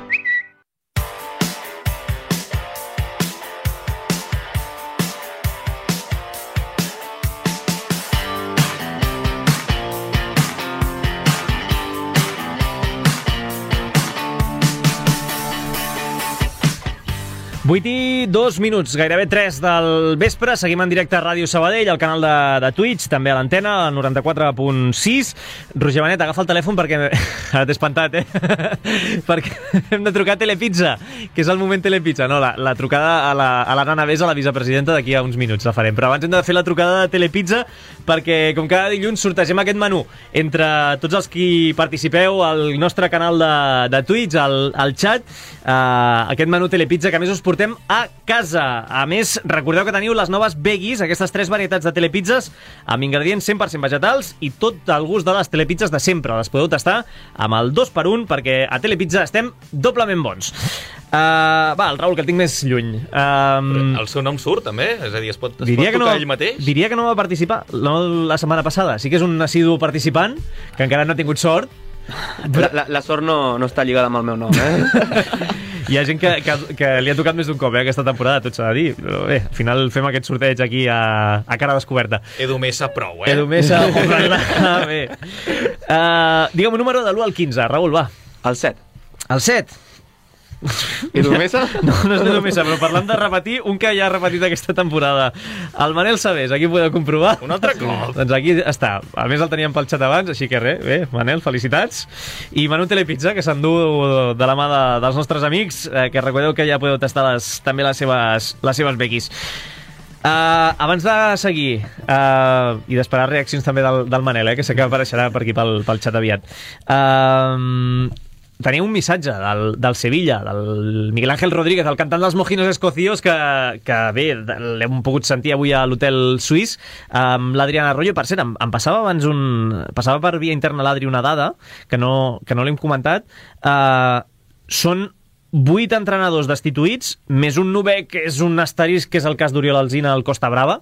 Vuit i 2 minuts, gairebé 3 del vespre. Seguim en directe a Ràdio Sabadell, al canal de Twitch, també a l'antena, al 94.6. Roger Benet, agafa el telèfon perquè... Ara t'he espantat, perquè hem de trucar a Telepizza, que és el moment Telepizza. No, la trucada a la Nana Bés, a la vicepresidenta, d'aquí a uns minuts la farem. Però abans hem de fer la trucada de Telepizza perquè, com cada dilluns, sortegem aquest menú entre tots els qui participeu al nostre canal de Twitch, al xat. Aquest menú Telepizza que a més us portem a casa. A més, recordeu que teniu les noves veggies, aquestes 3 varietats de telepizzas amb ingredients 100% vegetals i tot el gust de les telepizzas de sempre. Les podeu tastar amb el 2x1 perquè a Telepizza estem doblement bons. Va, el Raül, que el tinc més lluny. El seu nom surt, també? És a dir, es pot tocar ell mateix? Diria que no va participar la setmana passada. Sí que és un assidu participant, que encara no ha tingut sort. La sort no està lligada amb el meu nom, Hi ha gent que li ha tocat més d'un cop, aquesta temporada, tot s'ha de dir. Però bé, al final fem aquest sorteig aquí a cara descoberta. Edu Mesa prou, Edu Mesa, bé. Digue'm un número de l'1 al 15, Raül, va. El 7. El 7? Edu Mesa? No és Edu Mesa, però parlant de repetir, un que ja ha repetit aquesta temporada. El Manel Sabés, aquí podeu comprovar. Un altre cop. Doncs aquí està. A més el teníem pel xat abans, així que res, bé, Manel, felicitats. I Manu Telepizza, que s'endú de la mà dels nostres amics, que recordeu que ja podeu tastar també les seves bequis. Abans de seguir i d'esperar reaccions també del Manel, que sé que apareixerà per aquí pel xat aviat, tenia un missatge del Sevilla, del Miguel Ángel Rodríguez, el cantant dels Mojinos Escocios, que bé, l'hem pogut sentir avui a l'hotel suís amb l'Adrián Arroyo. Per cert, em passava abans passava per via interna l'Adri una dada que no l'hem comentat. Són 8 entrenadors destituïts, més un 9è, que és un asterisc, que és el cas d'Oriol Alsina al Costa Brava,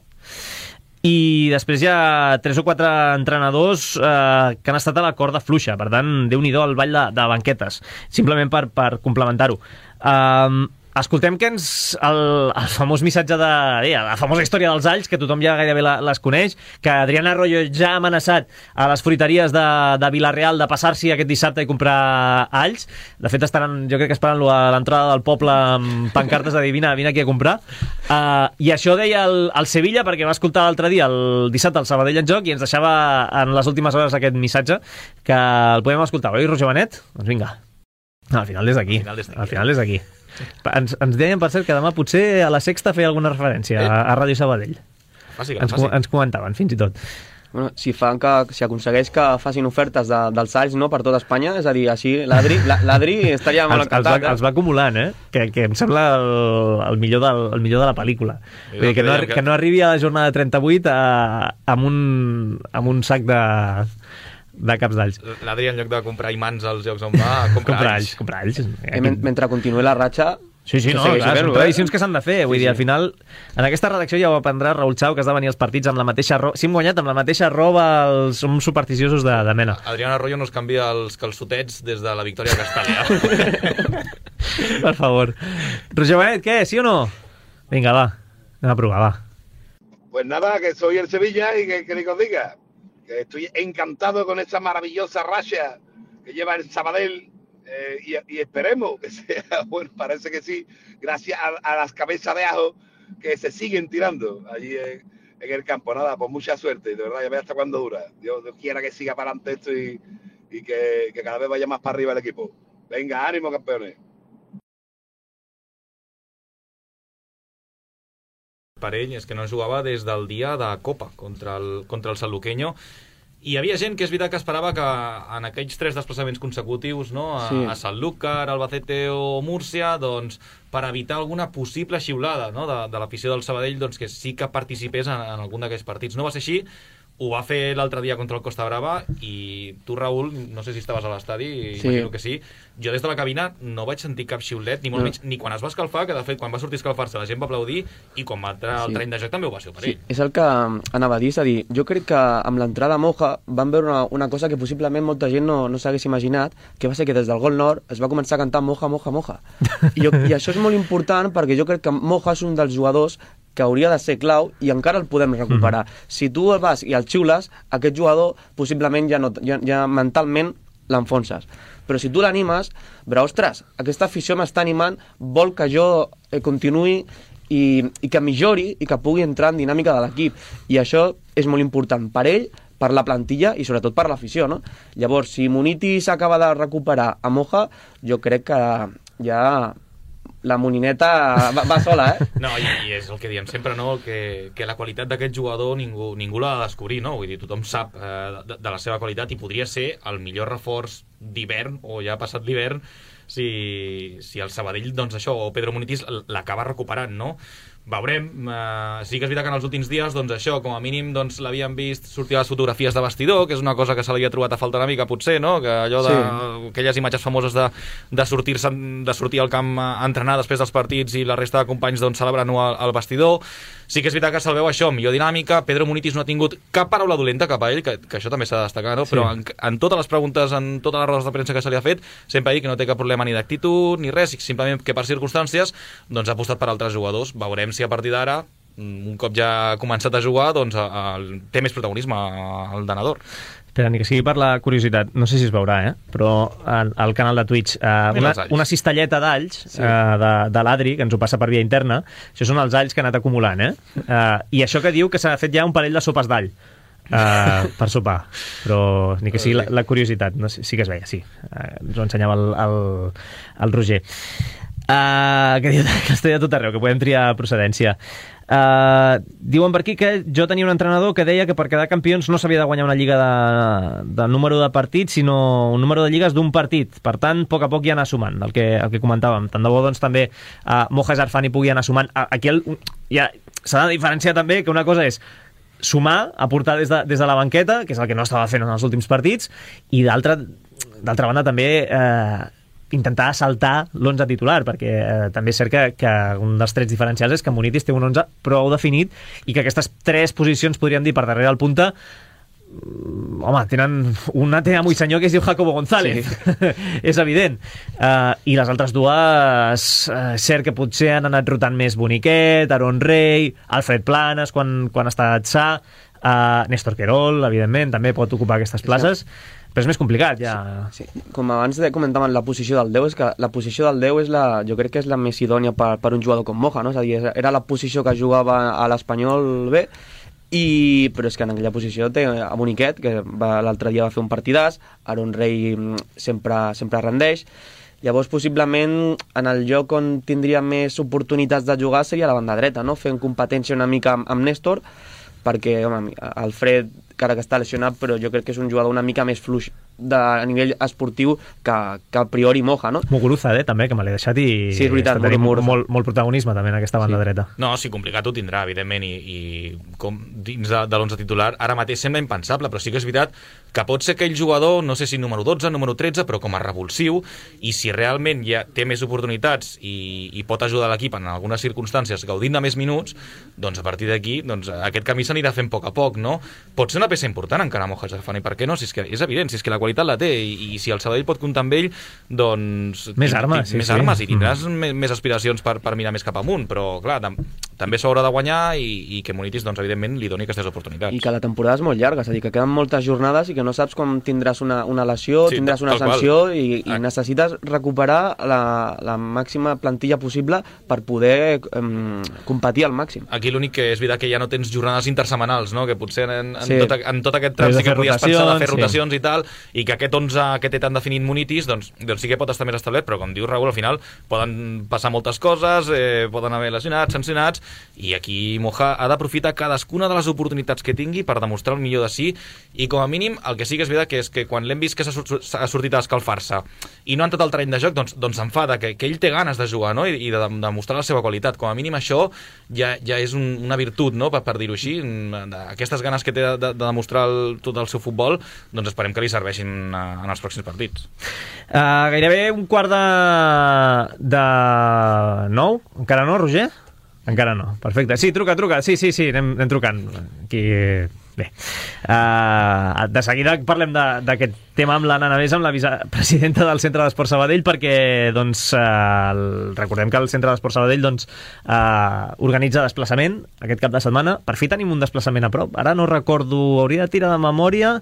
i després hi ha 3 o 4 entrenadors que han estat a la corda fluixa. Per tant, Déu-n'hi-do el ball de banquetes, simplement per complementar-ho. Escoltem que el famós missatge la famosa història dels alls, que tothom ja gairebé les coneix, que Adrián Arroyo ja ha amenaçat a les fruiteries de Vila-real de passar-s'hi aquest dissabte i comprar alls. De fet, estaran, jo crec que esperant-lo a l'entrada del poble amb pancartes de dir vine aquí a comprar. I això deia el Sevilla, perquè va escoltar l'altre dia, el dissabte, el Sabadell en joc, i ens deixava en les últimes hores aquest missatge, que el podem escoltar. Oi, Roger Benet? Doncs vinga. Al final des d'aquí. Al final des d'aquí. Ens deien, per cert, que demà potser a la Sexta feia alguna referència a Ràdio Sabadell. Ens comentaven, fins i tot. Bueno, si aconsegueix que facin ofertes dels alls, no, per tot Espanya, és a dir, així l'Adri estaria molt encantat. Els va acumulant, que em sembla el millor de la pel·lícula. Vull dir, que no arribi a la jornada 38 amb un sac de caps d'alls. L'Adri, en lloc de comprar imants als llocs on va, comprar alls. Mentre continuï la ratxa... Sí, no, clar, són tradicions que s'han de fer. Vull dir, al final, en aquesta redacció ja ho aprendrà Raül Chau, que has de venir als partits amb la mateixa roba. Si hem guanyat amb la mateixa roba, som supersticiosos de mena. Adrián Arroyo no es canvia els calçotets des de la victòria a Castalla. Per favor. Roger Benet, què? Sí o no? Vinga, va. Anem a provar, va. Pues nada, que soy el Sevilla y que os diga. Que estoy encantado con esa maravillosa racha que lleva el Sabadell y esperemos que sea, bueno, parece que sí, gracias a las cabezas de ajo que se siguen tirando allí en el campo. Nada, pues mucha suerte, de verdad, ya ve hasta cuándo dura. Dios quiera que siga para adelante esto y que cada vez vaya más para arriba el equipo. Venga, ánimo, campeones. Per ell és que no jugava des del dia de Copa contra el Sanluqueño, i hi havia gent que és veritat que esperava que en aquells 3 desplaçaments consecutius, no, a Sanlúcar, Albacete o Múrcia, doncs per evitar alguna possible xiulada, no, de l'afició del Sabadell, doncs que sí que participés en algun d'aquests partits. No va ser així. Ho va fer l'altre dia contra el Costa Brava, i tu, Raül, no sé si estaves a l'estadi, imagino que sí. Jo des de la cabina no vaig sentir cap xiulet, ni molt menys, ni quan es va escalfar, que de fet quan va sortir a escalfar-se la gent va aplaudir, i quan va entrar al terreny de joc també ho va ser per ell. És el que anava a dir, és a dir, jo crec que amb l'entrada a Moja van veure una cosa que possiblement molta gent no s'hagués imaginat, que va ser que des del Gol Nord es va començar a cantar Moja, Moja, Moja. I això és molt important perquè jo crec que Moja és un dels jugadors que hauria de ser clau i encara el podem recuperar. Si tu el vas i el xiules, aquest jugador possiblement ja mentalment l'enfonses. Però si tu l'animes, però ostres, aquesta afició m'està animant, vol que jo continuï i que millori i que pugui entrar en dinàmica de l'equip. I això és molt important per ell, per la plantilla i sobretot per l'afició, no? Llavors, si Muniti s'acaba de recuperar a Moja, jo crec que ja la monineta va sola, No, i és el que diem sempre, no? Que la qualitat d'aquest jugador ningú l'ha de descobrir, no? Vull dir, tothom sap de la seva qualitat i podria ser el millor reforç d'hivern, o ja ha passat l'hivern, si el Sabadell, doncs això, o Pedro Munitis l'acaba recuperant, no? Veurem, sí que és veritat que en els últims dies, doncs això, com a mínim, doncs l'havíem vist sortir a les fotografies de vestidor, que és una cosa que se l'havia trobat a falta una mica, potser, no? Que allò aquelles imatges famoses de sortir al camp a entrenar després dels partits i la resta de companys doncs celebrant-ho al vestidor. Sí que és veritat que se'l veu això, millor dinàmica. Pedro Munitis no ha tingut cap paraula dolenta cap a ell, que això també s'ha de destacar, no? Però en totes les preguntes, en totes les rodes de premsa que se li ha fet, sempre ha dit que no té cap problema ni d'actitud ni res, simplement que per circumstàncies doncs ha apostat per altres jugadors. Veurem si a partir d'ara, un cop ja ha començat a jugar, doncs té més protagonisme el Denador. Espera, ni que sigui per la curiositat, no sé si es veurà, però al canal de Twitch, una cistelleta d'alls de l'Adri, que ens ho passa per via interna, això són els alls que ha anat acumulant, i això que diu que s'ha fet ja un parell de sopes d'all per sopar, però ni que sigui la curiositat, no, sí que es veia, sí, ens ho ensenyava el Roger. Que diu que està a tot arreu, que podem triar procedència. Diuen per aquí que jo tenia un entrenador que deia que per quedar campions no s'havia de guanyar una lliga de número de partits, sinó un número de lligues d'un partit. Per tant, a poc ja anar sumant, el que comentàvem. Tant de bo, doncs, també Moja Zarfani pugui anar sumant. Aquí s'ha de diferenciar també que una cosa és sumar, aportar des de la banqueta, que és el que no estava fent en els últims partits, i d'altra banda també intentar assaltar l'11 titular, perquè també és cert que un dels trets diferencials és que Munitis té un 11 prou definit i que aquestes 3 posicions, podríem dir, per darrere del punta, home, una té a Muisenyor que es diu Jacobo González, sí. És evident, i les altres dues cert que potser han anat rotant més Boniquet, Aaron Rey, Alfred Planes quan ha estat sa, Néstor Querol, evidentment, també pot ocupar aquestes places, però és més complicat, ja. Sí. Com abans comentàvem, la posició del 10, és que la posició del 10 jo crec que és la més idònia per un jugador com Moja, no? És a dir, era la posició que jugava a l'Espanyol bé, però és que en aquella posició té a Boniquet, que l'altre dia va fer un partidàs, Aaron Rey sempre rendeix. Llavors, possiblement, en el lloc on tindria més oportunitats de jugar seria a la banda dreta, no? Fent competència una mica amb Néstor, perquè, home, Alfred, encara que està lesionat, però jo crec que és un jugador una mica més fluix a nivell esportiu que a priori Moja, no? Muguruza, també, que me l'he deixat, i sí, és veritat, molt protagonisme també en aquesta banda dreta. No, sí, complicat ho tindrà, evidentment, i com dins de l'11 titular, ara mateix sembla impensable, però sí que és veritat que pot ser aquell jugador, no sé si número 12, número 13, però com a revulsiu, i si realment ja té més oportunitats i pot ajudar l'equip en algunes circumstàncies gaudint de més minuts, doncs a partir d'aquí aquest camí s'anirà fent a poc, no? Pot ser una peça important encara Moja Zarfani, per què no? Si és que és evident, si és que la qualitat la té, i si el Sabadell pot comptar amb ell, doncs més armes, i tindràs més aspiracions per mirar més cap amunt, però clar, també s'haurà de guanyar, i que Munitis, doncs evidentment li doni aquestes oportunitats. I que la temporada és molt llarga, és a dir, que queden moltes jornades i que no saps com tindràs una lesió, tindràs una sanció, i necessites recuperar la màxima plantilla possible per poder competir al màxim. Aquí l'únic que és veritat que ja no tens jornades intersetmanals, no? Que potser en tot aquest tram sí que podies pensar de fer rotacions i tal, i que aquest 11 que té tan definit Munitis, doncs sí que pot estar més establert, però com diu Raül, al final poden passar moltes coses, poden haver lesionats, sancionats, i aquí Moja ha d'aprofitar cadascuna de les oportunitats que tingui per demostrar el millor de si, i com a mínim el que sí que és veritat que és que quan l'hem vist que s'ha sortit a escalfar-se i no ha entrat al terreny de joc, doncs s'enfada, que ell té ganes de jugar, no? I de demostrar la seva qualitat. Com a mínim això ja és una virtut, no? Per dir-ho així, aquestes ganes que té de demostrar tot el seu futbol, doncs esperem que li serveixin en els pròxims partits. Gairebé un quart de 9, encara no, Roger? Encara no, perfecte. Sí, truca, sí, anem trucant. Aquí, bé. De seguida parlem d'aquest tema amb l'Anna Navés, amb la vicepresidenta del Centre d'Esport Sabadell, perquè doncs, recordem que el Centre d'Esport Sabadell doncs, organitza desplaçament aquest cap de setmana. Per fi tenim un desplaçament a prop. Ara no recordo, hauria de tirar de memòria.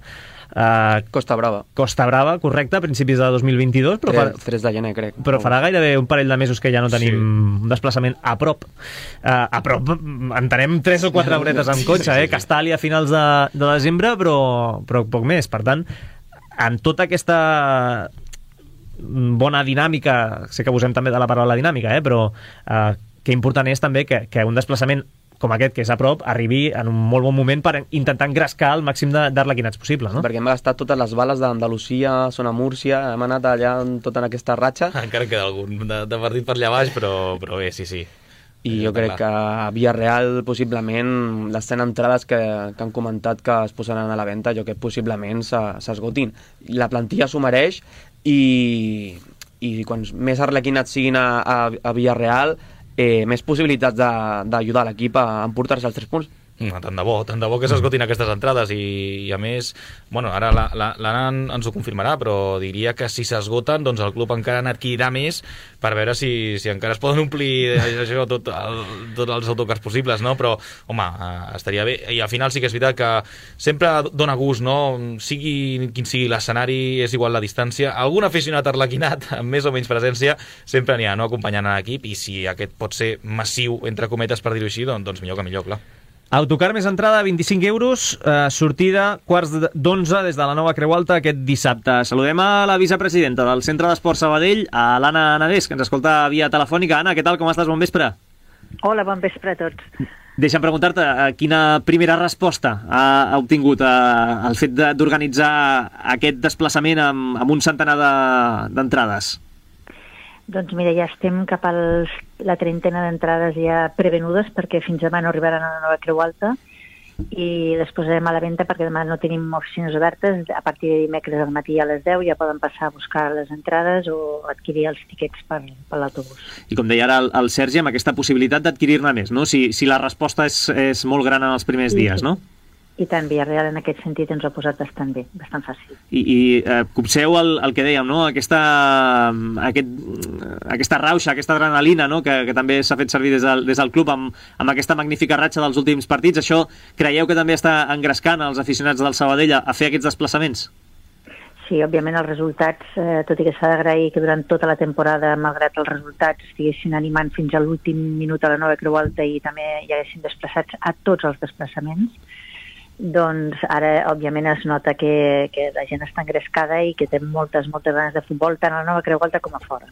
Costa Brava, correcte, a principis de 2022, però 3 de gener, crec. Però farà gairebé un parell de mesos que ja no tenim un desplaçament a prop. A prop, entenem 3 o 4 horetes amb cotxe, Castàlia a finals de desembre, però poc més. Per tant, en tota aquesta bona dinàmica, sé que abusem també de la paraula dinàmica, però que important és també que un desplaçament com aquest, que és a prop, arribi en un molt bon moment per intentar engrescar el màxim d'arlequinats possible, no? Perquè hem gastat totes les bales d'Andalusia, zona Múrcia, hem anat allà tota en aquesta ratxa. Encara queda algun de partit per allà baix, però bé, sí. I jo crec que a Villarreal, possiblement, les 100 entrades que han comentat que es posaran a la venda, jo crec que possiblement s'esgotin. La plantilla s'ho mereix, i quan més arlequinats siguin a Villarreal, més possibilitats d'ajudar l'equip a emportar-se els 3 punts. Tant de bo que s'esgotin aquestes entrades i a més, bueno, ara l'Anna ens ho confirmarà, però diria que si s'esgoten, doncs el club encara n'adquirirà més per veure si encara es poden omplir això, tots els autocars possibles, no? Però, home, estaria bé, i al final sí que és veritat que sempre dona gust, no? Sigui quin sigui l'escenari, és igual la distància, algun aficionat arlequinat amb més o menys presència sempre n'hi ha, no? Acompanyant a l'equip, i si aquest pot ser massiu, entre cometes, per dir-ho així, doncs millor que millor, clar. Autocar més entrada, 25 euros, sortida quarts d'11 des de la Nova Creu Alta aquest dissabte. Saludem a la vicepresidenta del Centre d'Esport Sabadell, a l'Anna Navés, que ens escolta via telefònica. Anna, què tal, com estàs? Bon vespre. Hola, bon vespre a tots. Deixa'm preguntar-te quina primera resposta ha obtingut el fet d'organitzar aquest desplaçament amb un centenar d'entrades. Doncs mira, ja estem cap a la trentena d'entrades ja prevenudes, perquè fins demà no arribaran a la Nova Creu Alta, i les posarem a la venda perquè demà no tenim oficines obertes. A partir de dimecres al matí a les 10 ja poden passar a buscar les entrades o adquirir els tiquets per l'autobús. I com deia ara el Sergi, amb aquesta possibilitat d'adquirir-ne més, no? Si la resposta és molt gran en els primers dies, no? I tant, Villarreal en aquest sentit ens ho ha posat bastant bé, bastant fàcil. I copseu el que dèiem, no? Aquesta rauxa, aquesta adrenalina, no? que també s'ha fet servir des del club amb aquesta magnífica ratxa dels últims partits. Això creieu que també està engrescant els aficionats del Sabadell a fer aquests desplaçaments? Sí, òbviament els resultats, tot i que s'ha d'agrair que durant tota la temporada, malgrat els resultats, estiguessin animant fins a l'últim minut a la Nova Creu Alta i també hi haguessin desplaçats a tots els desplaçaments, doncs ara, òbviament, es nota que la gent està engrescada i que té moltes ganes de futbol, tant a la Nova Creu Alta com a fora.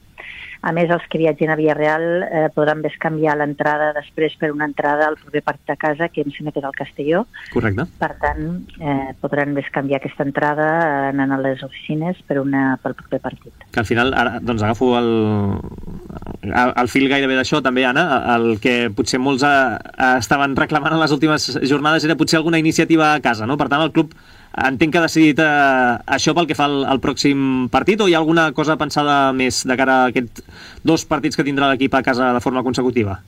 A més, els que viatgen a Villarreal podran bescanviar l'entrada després per una entrada al proper partit a casa, que em sembla que és al Castelló. Correcte. Per tant, podran bescanviar aquesta entrada anant a les oficines pel proper partit. Que al final, ara, doncs agafo el fil gairebé d'això també, Anna, el que potser molts estaven reclamant en les últimes jornades era potser alguna iniciativa a casa, no? Per tant, el club entenc que ha decidit això pel que fa al pròxim partit, o hi ha alguna cosa pensada més de cara a aquests 2 partits que tindrà l'equip a casa de forma consecutiva?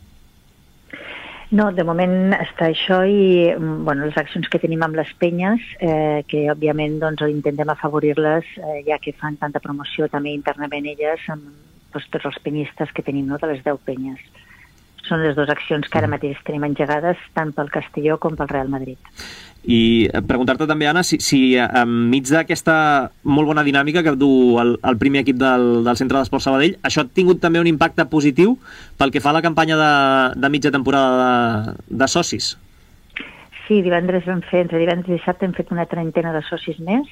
No, de moment està això i les accions que tenim amb les penyes, que òbviament doncs, intentem afavorir-les, ja que fan tanta promoció també internament elles, amb tots els penyistes que tenim, no?, de les 10 penyes. Són les 2 accions que ara mateix tenim engegades, tant pel Castelló com pel Real Madrid. I preguntar-te també, Anna, si enmig d'aquesta molt bona dinàmica que du el primer equip del Centre d'Esport Sabadell, això ha tingut també un impacte positiu pel que fa a la campanya de mitja temporada de socis? Sí, entre divendres i dissabte hem fet una trentena de socis més,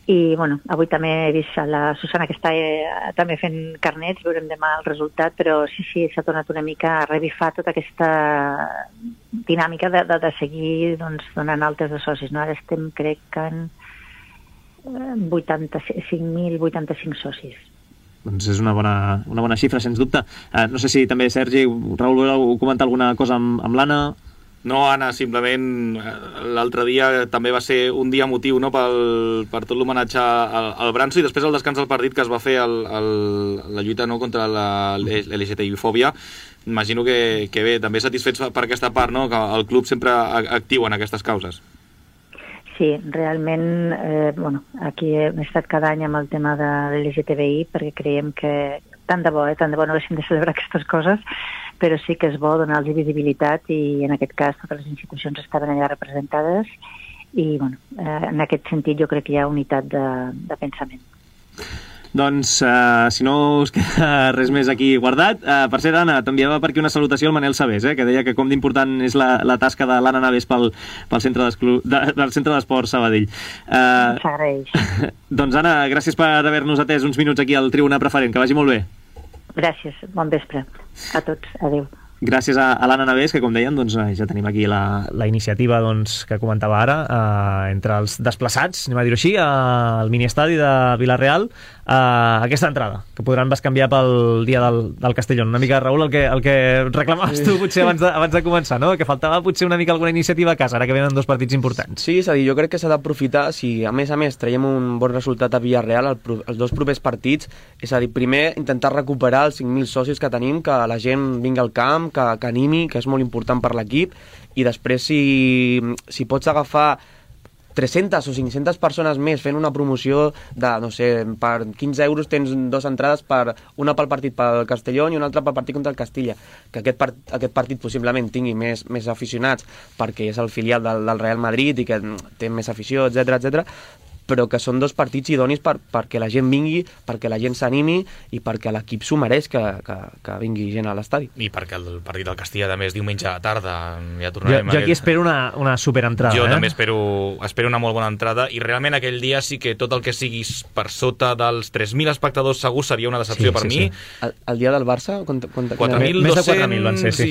i avui també he vist la Susana que està també fent carnets, veurem demà el resultat, però sí, s'ha tornat una mica a revifar tota aquesta dinàmica de seguir donant altes de socis. Ara estem, crec que en 85.085 socis. Doncs és una bona xifra, sens dubte. No sé si també, Sergi, Raül, voleu comentar alguna cosa amb l'Anna? No, Anna, simplement l'altre dia també va ser un dia emotiu, no?, per tot l'homenatge al Branso, i després el descans del partit que es va fer la lluita, no?, contra la LGTBI-fòbia. Imagino que bé, també satisfets per aquesta part, no?, que el club sempre actiu en aquestes causes. Sí, realment, aquí hem estat cada any amb el tema de l'LGTBI, perquè creiem que tant de bo no deixem de celebrar aquestes coses, però sí que és bo donar-los visibilitat, i en aquest cas totes les institucions estaven allà representades, i en aquest sentit jo crec que hi ha unitat de pensament. Doncs, si no us queda res més aquí guardat, per cert, Anna, t'enviava per aquí una salutació al Manel Sabés, que deia que com d'important és la tasca de l'Anna Navés pel Centre d'Esport Sabadell. S'agraeix. Doncs, Anna, gràcies per haver-nos atès uns minuts aquí al Tribuna Preferent, que vagi molt bé. Gràcies, bon vespre a tots, adéu. Gràcies a l'Anna Navés, que com deien, ja tenim aquí la iniciativa que comentava ara, entre els desplaçats, anem a dir-ho així, al miniestadi de Vila-real, aquesta entrada, que podran bescanviar pel dia del Castelló. Una mica, Raül, el que reclamaves tu potser abans de començar, no?, que faltava potser una mica alguna iniciativa a casa, ara que venen 2 partits importants. Sí, és a dir, jo crec que s'ha d'aprofitar, si a més traiem un bon resultat a Villarreal els 2 propers partits, és a dir, primer intentar recuperar els 5.000 socis que tenim, que la gent vingui al camp, que animi, que és molt important per l'equip, i després si pots agafar 300 o 500 persones més fent una promoció de, no sé, per 15 euros tens 2 entrades, una pel partit pel Castellón i una altra pel partit contra el Castilla, que aquest partit possiblement tingui més aficionats perquè és el filial del Real Madrid i que té més afició, etc, però que són 2 partits idonis perquè la gent vingui, perquè la gent s'animi i perquè l'equip s'ho mereix que vingui gent a l'estadi. I perquè el partit del Castilla també és diumenge a la tarda. Ja tornarem jo aquí espero una superentrada. Jo també espero una molt bona entrada i realment aquell dia sí que tot el que siguis per sota dels 3.000 espectadors segur seria una decepció per mi. El dia del Barça? 4.200 més de 4.000 van ser, sí.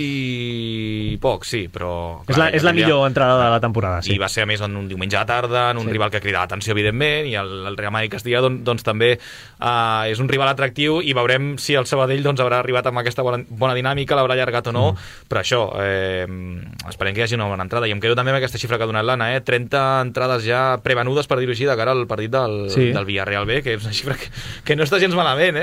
I poc, sí, però... És la millor entrada de la temporada, sí. I va ser a més en un diumenge a la tarda, en un rival que cridava atenció, evidentment, i el Real Madrid Castilla doncs també és un rival atractiu i veurem si el Sabadell doncs haurà arribat amb aquesta bona dinàmica, l'haurà allargat o no, però això, esperem que hi hagi una bona entrada. I em quedo també amb aquesta xifra que ha donat l'Anna, 30 entrades ja prevenudes, per dir-ho així, de cara al partit del Villarreal B, que és una xifra que no està gens malament,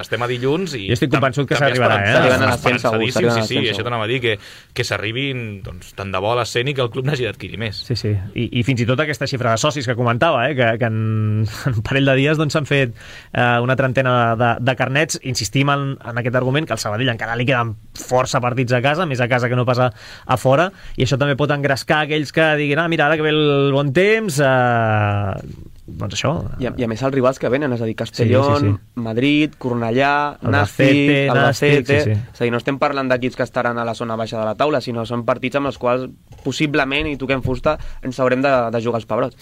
estem a dilluns i... Jo estic convençut que s'arribarà, S'arriben a l'ascens segur. Sí, això t'anava a dir, que s'arribin tant de bo a l'escena i que el club n'hagi d'adquirir més. Sí. I fins i tot aquesta xifra de socis que comentava, que en un parell de dies s'han fet una trentena de carnets. Insistim en aquest argument que al Sabadell encara li queden força partits a casa, més a casa que no pas a fora, i això també pot engrescar aquells que diguin, mira, ara que ve el bon temps, doncs això. I a més els rivals que venen, és a dir, Castellón, Madrid, Cornellà, Albacete... És a dir, no estem parlant d'equips que estaran a la zona baixa de la taula, sinó són partits amb els quals possiblement, i toquem fusta, ens haurem de jugar els pebrots.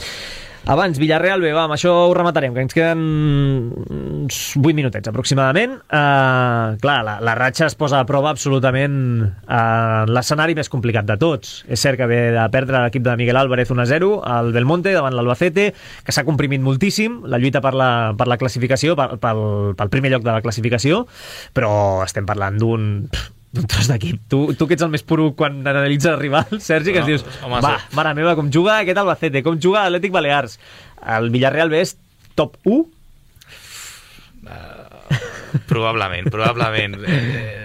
Abans, Villarreal B, amb això ho rematarem, que ens queden uns 8 minutets aproximadament. Clar, la ratxa es posa a prova absolutament l'escenari més complicat de tots. És cert que ve de perdre l'equip de Miguel Álvarez 1-0 al Belmonte davant l'Albacete, que s'ha comprimit moltíssim la lluita per la classificació, pel primer lloc de la classificació, però estem parlant d'un tros d'equip. Tu que ets el més puro quan analitzes els rivals, Sergi, que ens dius, mare meva, com juga aquest Albacete, com juga l'Atlètic Balears. El Villarreal B és top 1? Probablement.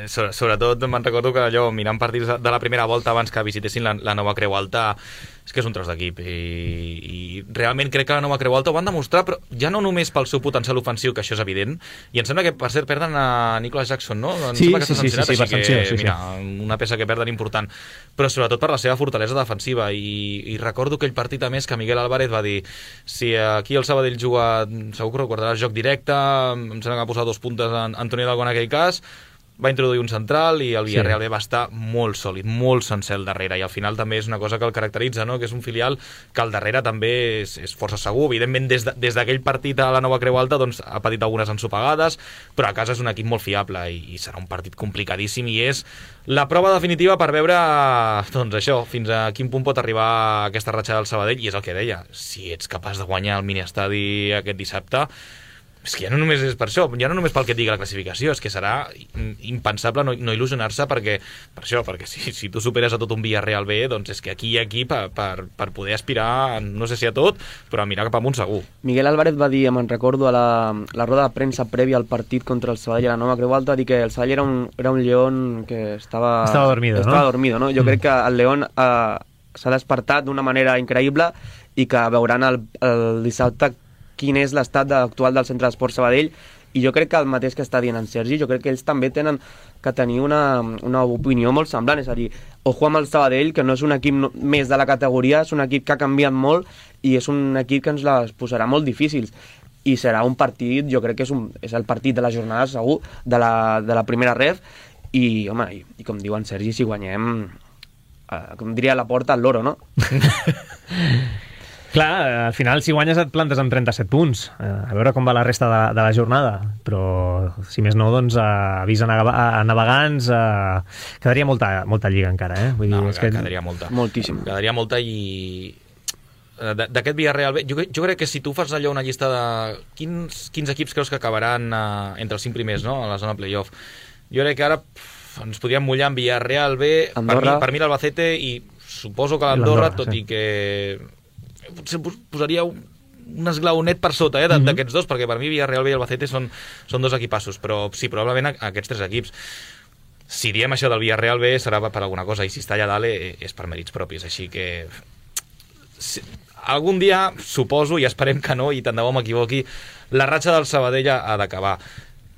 Sobretot me'n recordo que allò, mirant partits de la primera volta abans que visitessin la Nova Creu Alta, és que és un tros d'equip i realment crec que la Nova Creu Alta ho van demostrar, però ja no només pel seu potencial ofensiu, que això és evident, i em sembla que per cert perden a Nicolas Jackson, no? Sí, per sanció. Mira, una peça que perden important, però sobretot per la seva fortalesa defensiva, i recordo aquell partit a més que Miguel Álvarez va dir, si aquí el Sabadell juga, segur que recordaràs, joc directe, em sembla que va posar 2 puntes a Antonio Dalgo en aquell cas, va introduir un central i el Villarreal B va estar molt sòlid, molt sencer al darrere, i al final també és una cosa que el caracteritza, no? Que és un filial que al darrere també és força segur. Evidentment des d'aquell partit a la Nova Creu Alta doncs, ha patit algunes ensopegades, però a casa és un equip molt fiable i serà un partit complicadíssim, i és la prova definitiva per veure doncs això, fins a quin punt pot arribar aquesta ratxa del Sabadell, i és el que deia, si ets capaç de guanyar el miniestadi aquest dissabte, és que ja no només és per això, ja no només pel que et digui la classificació, és que serà impensable no il·lusionar-se perquè si tu superes a tot un Villarreal B, doncs és que aquí hi ha aquí per poder aspirar, no sé si a tot, però a mirar cap amunt segur. Miguel Álvarez va dir, me'n recordo, a la roda de premsa prèvia al partit contra el Sabadell a la Nova Creu Alta, dir que el Sabadell era un león que estava dormido, no? Jo crec que el león s'ha despertat d'una manera increïble i que veuran el dissabte quin és l'estat actual del Centre d'Esport Sabadell, i jo crec que el mateix que està dient en Sergi, jo crec que ells també tenen que tenir una opinió molt semblant, és a dir, ojo amb el Sabadell, que no és un equip més de la categoria, és un equip que ha canviat molt i és un equip que ens les posarà molt difícils, i serà un partit, jo crec que és el partit de la jornada segur, de la primera ref, i home, i com diu en Sergi, si guanyem, com diria la porta, al loro, no? Clar, al final si guanyes et plantes amb 37 punts, a veure com va la resta de la jornada, però si més no, doncs avís a navegants, quedaria molta lliga encara, Vull dir, quedaria molta. Moltíssim. Quedaria molta, i d'aquest Villarreal B, jo crec que si tu fas allò una llista de quins equips creus que acabaran entre els 5 primers, no?, a la zona playoff, jo crec que ara ens podríem mullar amb Villarreal B, per mi l'Albacete, i suposo que l'Andorra, tot i que potser posaria un esglaonet per sota d'aquests dos, perquè per mi Villarreal B i Albacete són 2 equipassos, però sí, probablement aquests 3 equips. si diem això del Villarreal B serà per alguna cosa, i si està allà dalt és per mèrits propis, així que algun dia, suposo, i esperem que no, i tant de bo m'equivoqui, la ratxa del Sabadell ha d'acabar.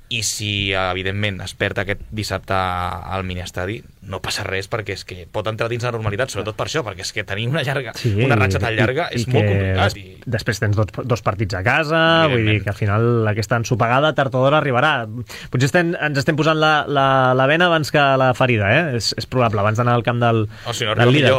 I si, evidentment, es perd aquest dissabte al miniestadi, no passa res, perquè és que pot entrar dins la normalitat, sobretot per això, perquè és que tenir una ratxa tan llarga és molt complicat. Després tens dos partits a casa, vull dir que al final aquesta ensopegada tard o d'hora arribarà. Potser ens estem posant la vena abans que la ferida, és probable, abans d'anar al camp del líder.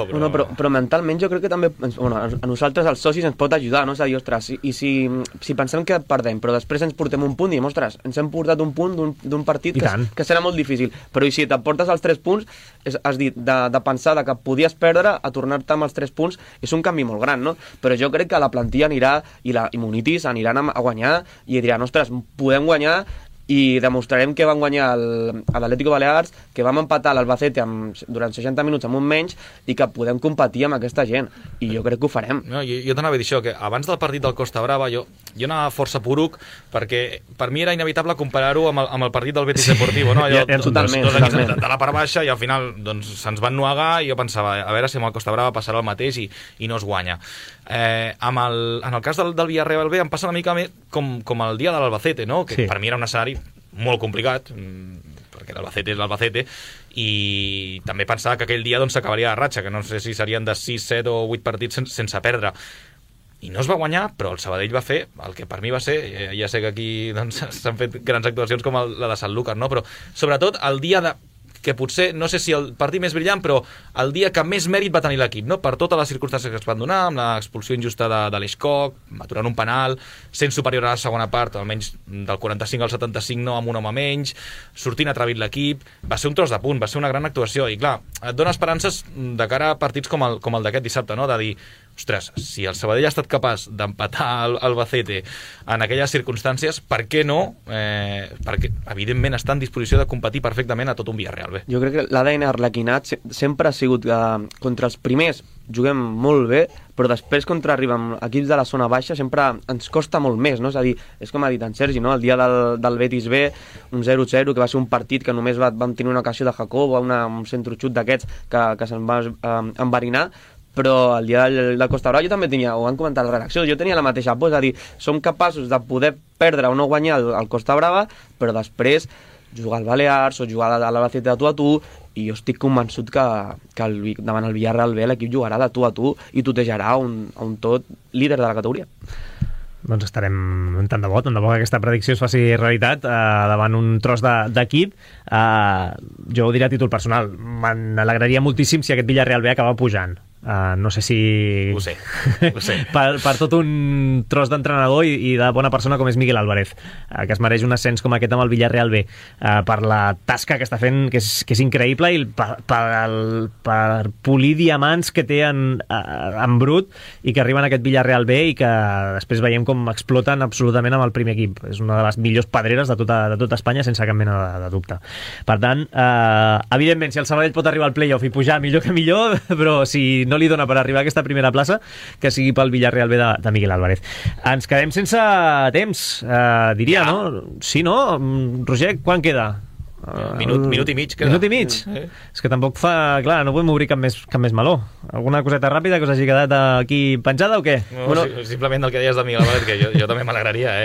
Però mentalment jo crec que també a nosaltres, els socis, ens pot ajudar, no? És a dir, ostres, i si pensem que perdem, però després ens portem un punt i diem, ostres, ens hem portat un punt d'un partit que serà molt difícil, però i si t'aportes els 3 punts, has dit, de pensar que podies perdre a tornar-te amb els 3 punts és un canvi molt gran, no? Però jo crec que la plantilla anirà, i la Munitis aniran a guanyar i diran, ostres, podem guanyar, i demostrarem que van guanyar l'Atlético Balears, que vam empatar l'Albacete durant 60 minuts amb un menys i que podem competir amb aquesta gent, i jo crec que ho farem. No, jo t'anava a dir això, que abans del partit del Costa Brava jo anava força poruc, perquè per mi era inevitable comparar-ho amb el partit del Betis Deportivo, no? Totalment. De la part baixa, i al final se'ns van nuagar, i jo pensava, a veure si amb el Costa Brava passarà el mateix i no es guanya. En el cas del Villarreal B em passa una mica més com el dia de l'Albacete, no? Que per mi era un escenari molt complicat, perquè l'Albacete és l'Albacete, i també pensava que aquell dia s'acabaria la ratxa, que no sé si serien de 6, 7 o 8 partits sense perdre, i no es va guanyar, però el Sabadell va fer el que per mi va ser, ja sé que aquí s'han fet grans actuacions com la de Sant Lucas, no? Però sobretot el dia que potser, no sé si el partit més brillant, però el dia que més mèrit va tenir l'equip, no? Per totes les circumstàncies que es van donar, amb l'expulsió injusta de l'Eixcock, aturant un penal, sent superior a la segona part, almenys del 45 al 75, no, amb un home menys, sortint atrevit l'equip, va ser un tros de punt, va ser una gran actuació, i clar, et dona esperances de cara a partits com el d'aquest dissabte, no? De dir, ostres, si el Sabadell ha estat capaç d'empatar el Albacete en aquelles circumstàncies, per què no? Perquè, evidentment, està en disposició de competir perfectament a tot un Villarreal B. Jo crec que l'ADN arlequinat sempre ha sigut que contra els primers juguem molt bé, però després contra arribem equips de la zona baixa sempre ens costa molt més, no? És a dir, és com ha dit en Sergi, no? El dia del Betis B, un 0-0, que va ser un partit que només vam tenir una ocasió de Jacobo, un centroxut d'aquests que se'n va enverinar, però el dia del Costa Brava jo també tenia, ho van comentar a la redacció, jo tenia la mateixa por, és a dir, som capaços de poder perdre o no guanyar el Costa Brava, però després jugar al Balears o jugar a l'Albacete de tu a tu, i jo estic convençut que davant el Villarreal B l'equip jugarà de tu a tu i tutejarà un tot líder de la categoria. Doncs estarem tant de bo que aquesta predicció es faci realitat davant un tros d'equip. Jo ho diré a títol personal, m'alegraria moltíssim si aquest Villarreal B acaba pujant. No sé si... Ho sé. per tot un tros d'entrenador i de bona persona com és Miguel Álvarez, que es mereix un ascens com aquest amb el Villarreal B, per la tasca que està fent, que és increïble, i per polir diamants que té en brut i que arriben a aquest Villarreal B i que després veiem com exploten absolutament amb el primer equip. És una de les millors pedreres de tota Espanya, sense cap mena de dubte. Per tant, evidentment, si el Sabadell pot arribar al playoff i pujar, millor que millor, però si no li dona per arribar a aquesta primera plaça, que sigui pel Villarreal B de Miguel Álvarez. Ens quedem sense temps, diria, no? Sí, no? Roger, quan queda? Minut i mig queda. Minut i mig? És que tampoc fa... Clar, no podem obrir cap més meló. Alguna coseta ràpida que us hagi quedat aquí penjada o què? No, simplement el que deies de Miguel Álvarez, que jo també m'alegraria,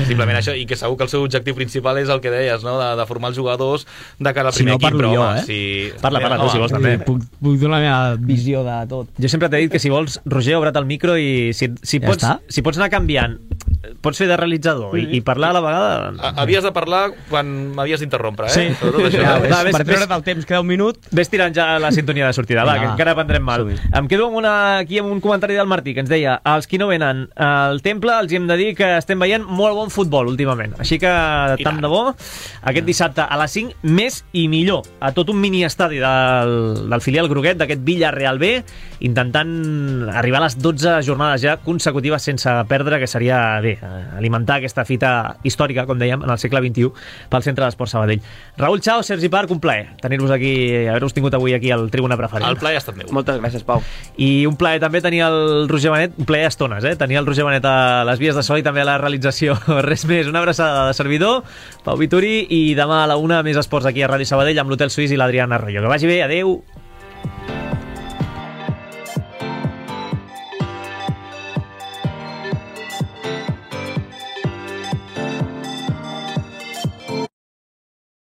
simplement això, i que segur que el seu objectiu principal és el que deies, no? De formar els jugadors de cara al primer equip. Parlo jo, Parla tu, si vols, també. Puc donar la meva visió de tot. Jo sempre t'he dit que si vols, Roger, obre't el micro i si pots anar canviant, pots fer de realitzador i parlar a la vegada... Havies de parlar quan m'havies d'interrompre, Sí. Per treure't el temps, queda un minut. Ves tirant ja la sintonia de sortida, que encara prendrem mal. Em quedo aquí amb un comentari del Martí, que ens deia: els qui no venen al Temple els hi hem de dir que estem veient molt bon futbol últimament, així que tant de bo aquest dissabte a les 5, més i millor, a tot un mini estadi del filial groguet d'aquest Villarreal B, intentant arribar a les 12 jornades ja consecutives sense perdre, que seria bé. bé, alimentar aquesta fita històrica, com dèiem, en el segle XXI pel Centre d'Esport Sabadell. Raül Chao, Sergi Parc, un plaer tenir-vos aquí, haver-vos tingut avui aquí al Tribuna Preferent. El plaer ha estat meu. Moltes gràcies, Pau. I un plaer també tenir el Roger Benet, un plaer a estones, tenir el Roger Benet a les vies de so i també a la realització. Res més, una abraçada de servidor, Pau Vituri, i demà a la 1 més esports aquí a Ràdio Sabadell amb l'Hotel Suís i l'Adriana Arroyo. Que vagi bé, adeu!